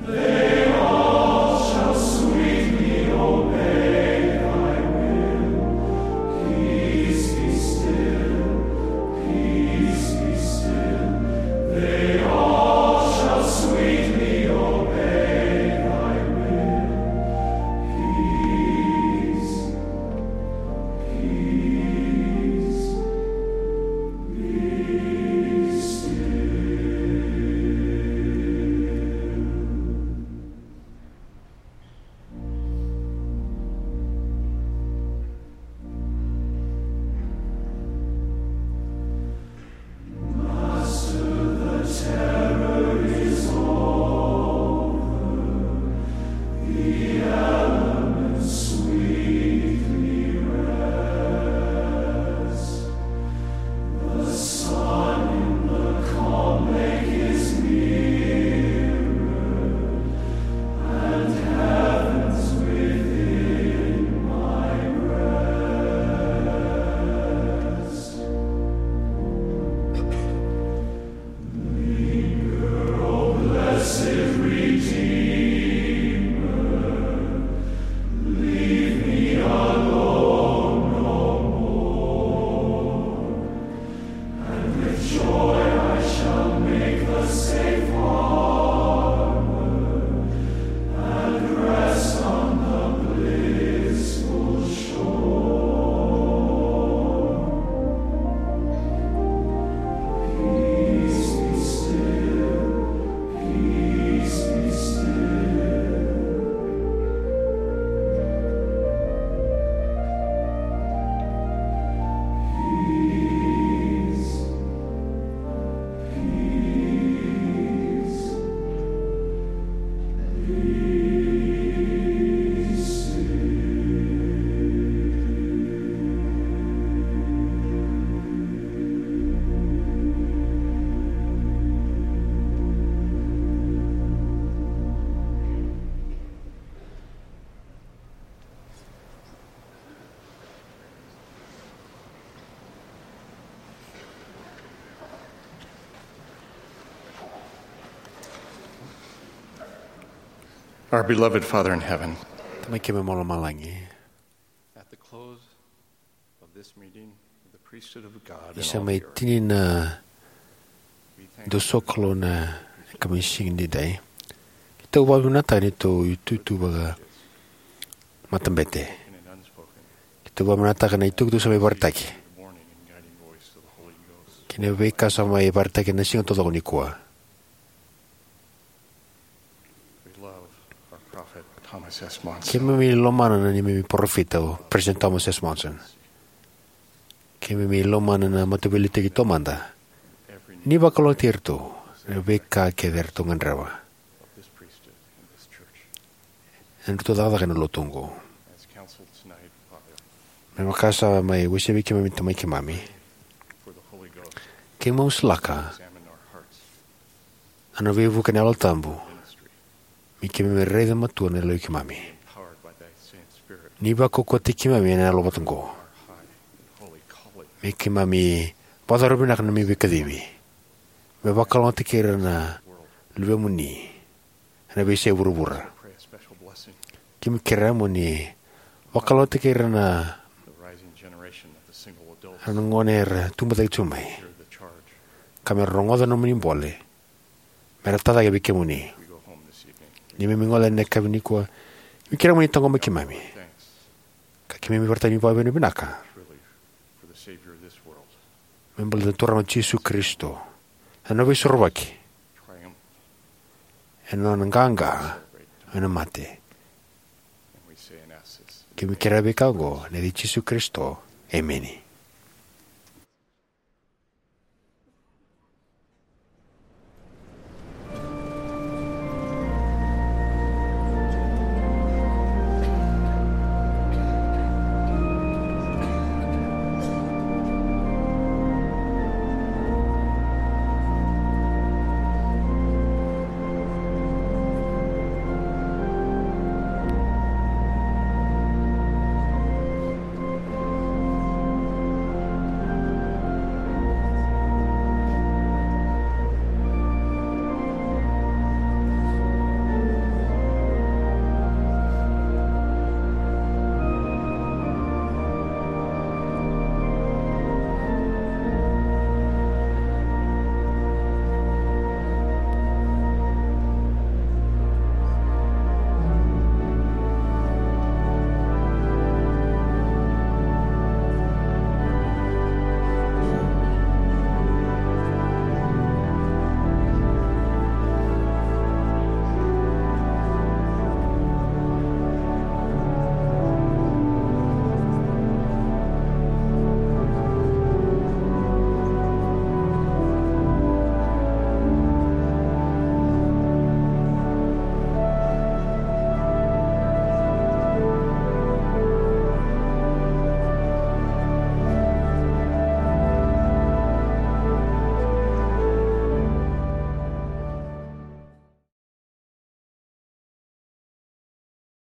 They all shall sweetly obey thy will. Peace be still, peace be still. They all shall sweetly obey thy will. Peace, peace, be still. Master, the terror is over, the elements sweetly rest. The sun in the calm lake is mirrored, and heaven's within my breast. Linger, O blessed Redeemer, leave me alone no more. And with joy I shall make the safe harbor, and rest on the blissful shore. Peace be still, peace be still. Peace, peace, peace. Our beloved Father in heaven, Tamai keimami mai lomalagi, at the close of this meeting of the priesthood of God in all the earth, ni sa mai tini na dou sokalou na kamisiga ni dai, keitou vakavinavinakataka na neitou itutu vakamatabete. Keitou vakavinavinakataka na itukutuku sa mai vakaraitaki kei na veika sa mai vakaraitaki ena siga taucoko nikua. We love our prophet Thomas S. Monson. Keimami lomana na neimami parofita o President Thomas S. Monson. Keimami lomana na mataveiliutaki taumada. Ni vakalougatataki iratou ena veika kece eratou gadreva. Ena nodratou cakacaka ena lotu oqo. Me vaka sa mai wasea vei keimami na Tamai keimami, keimami masulaka ena veivuke ni Yalo Tabu me keimami raica matua na yaloi keimami. Ni vakaukauwataki keimami ena yalo vata oqo, me keimami vakayacora vinaka na neimami veikacivi. me vakalougatataki ira na luvemuni ena veiyasai vuravura. Keimami kerea mo ni vakalougatataki ira na gone era tubu cake tu mai, ka me ra rogoca na nomuni bole me ra tacake vei kemuni. Ni keimami gole ena yakavi nikua, keimami kerea mo ni taqomaki keimami, ka keimami vakaraitaka na vakavinavinaka me baleta na Turaga o Jisu Karisito, na nona veisorovaki, ena nona qaqa mai na mate. Keimami kerea vei kemuni oqo ena yaca i Jisu Karisito, emeni.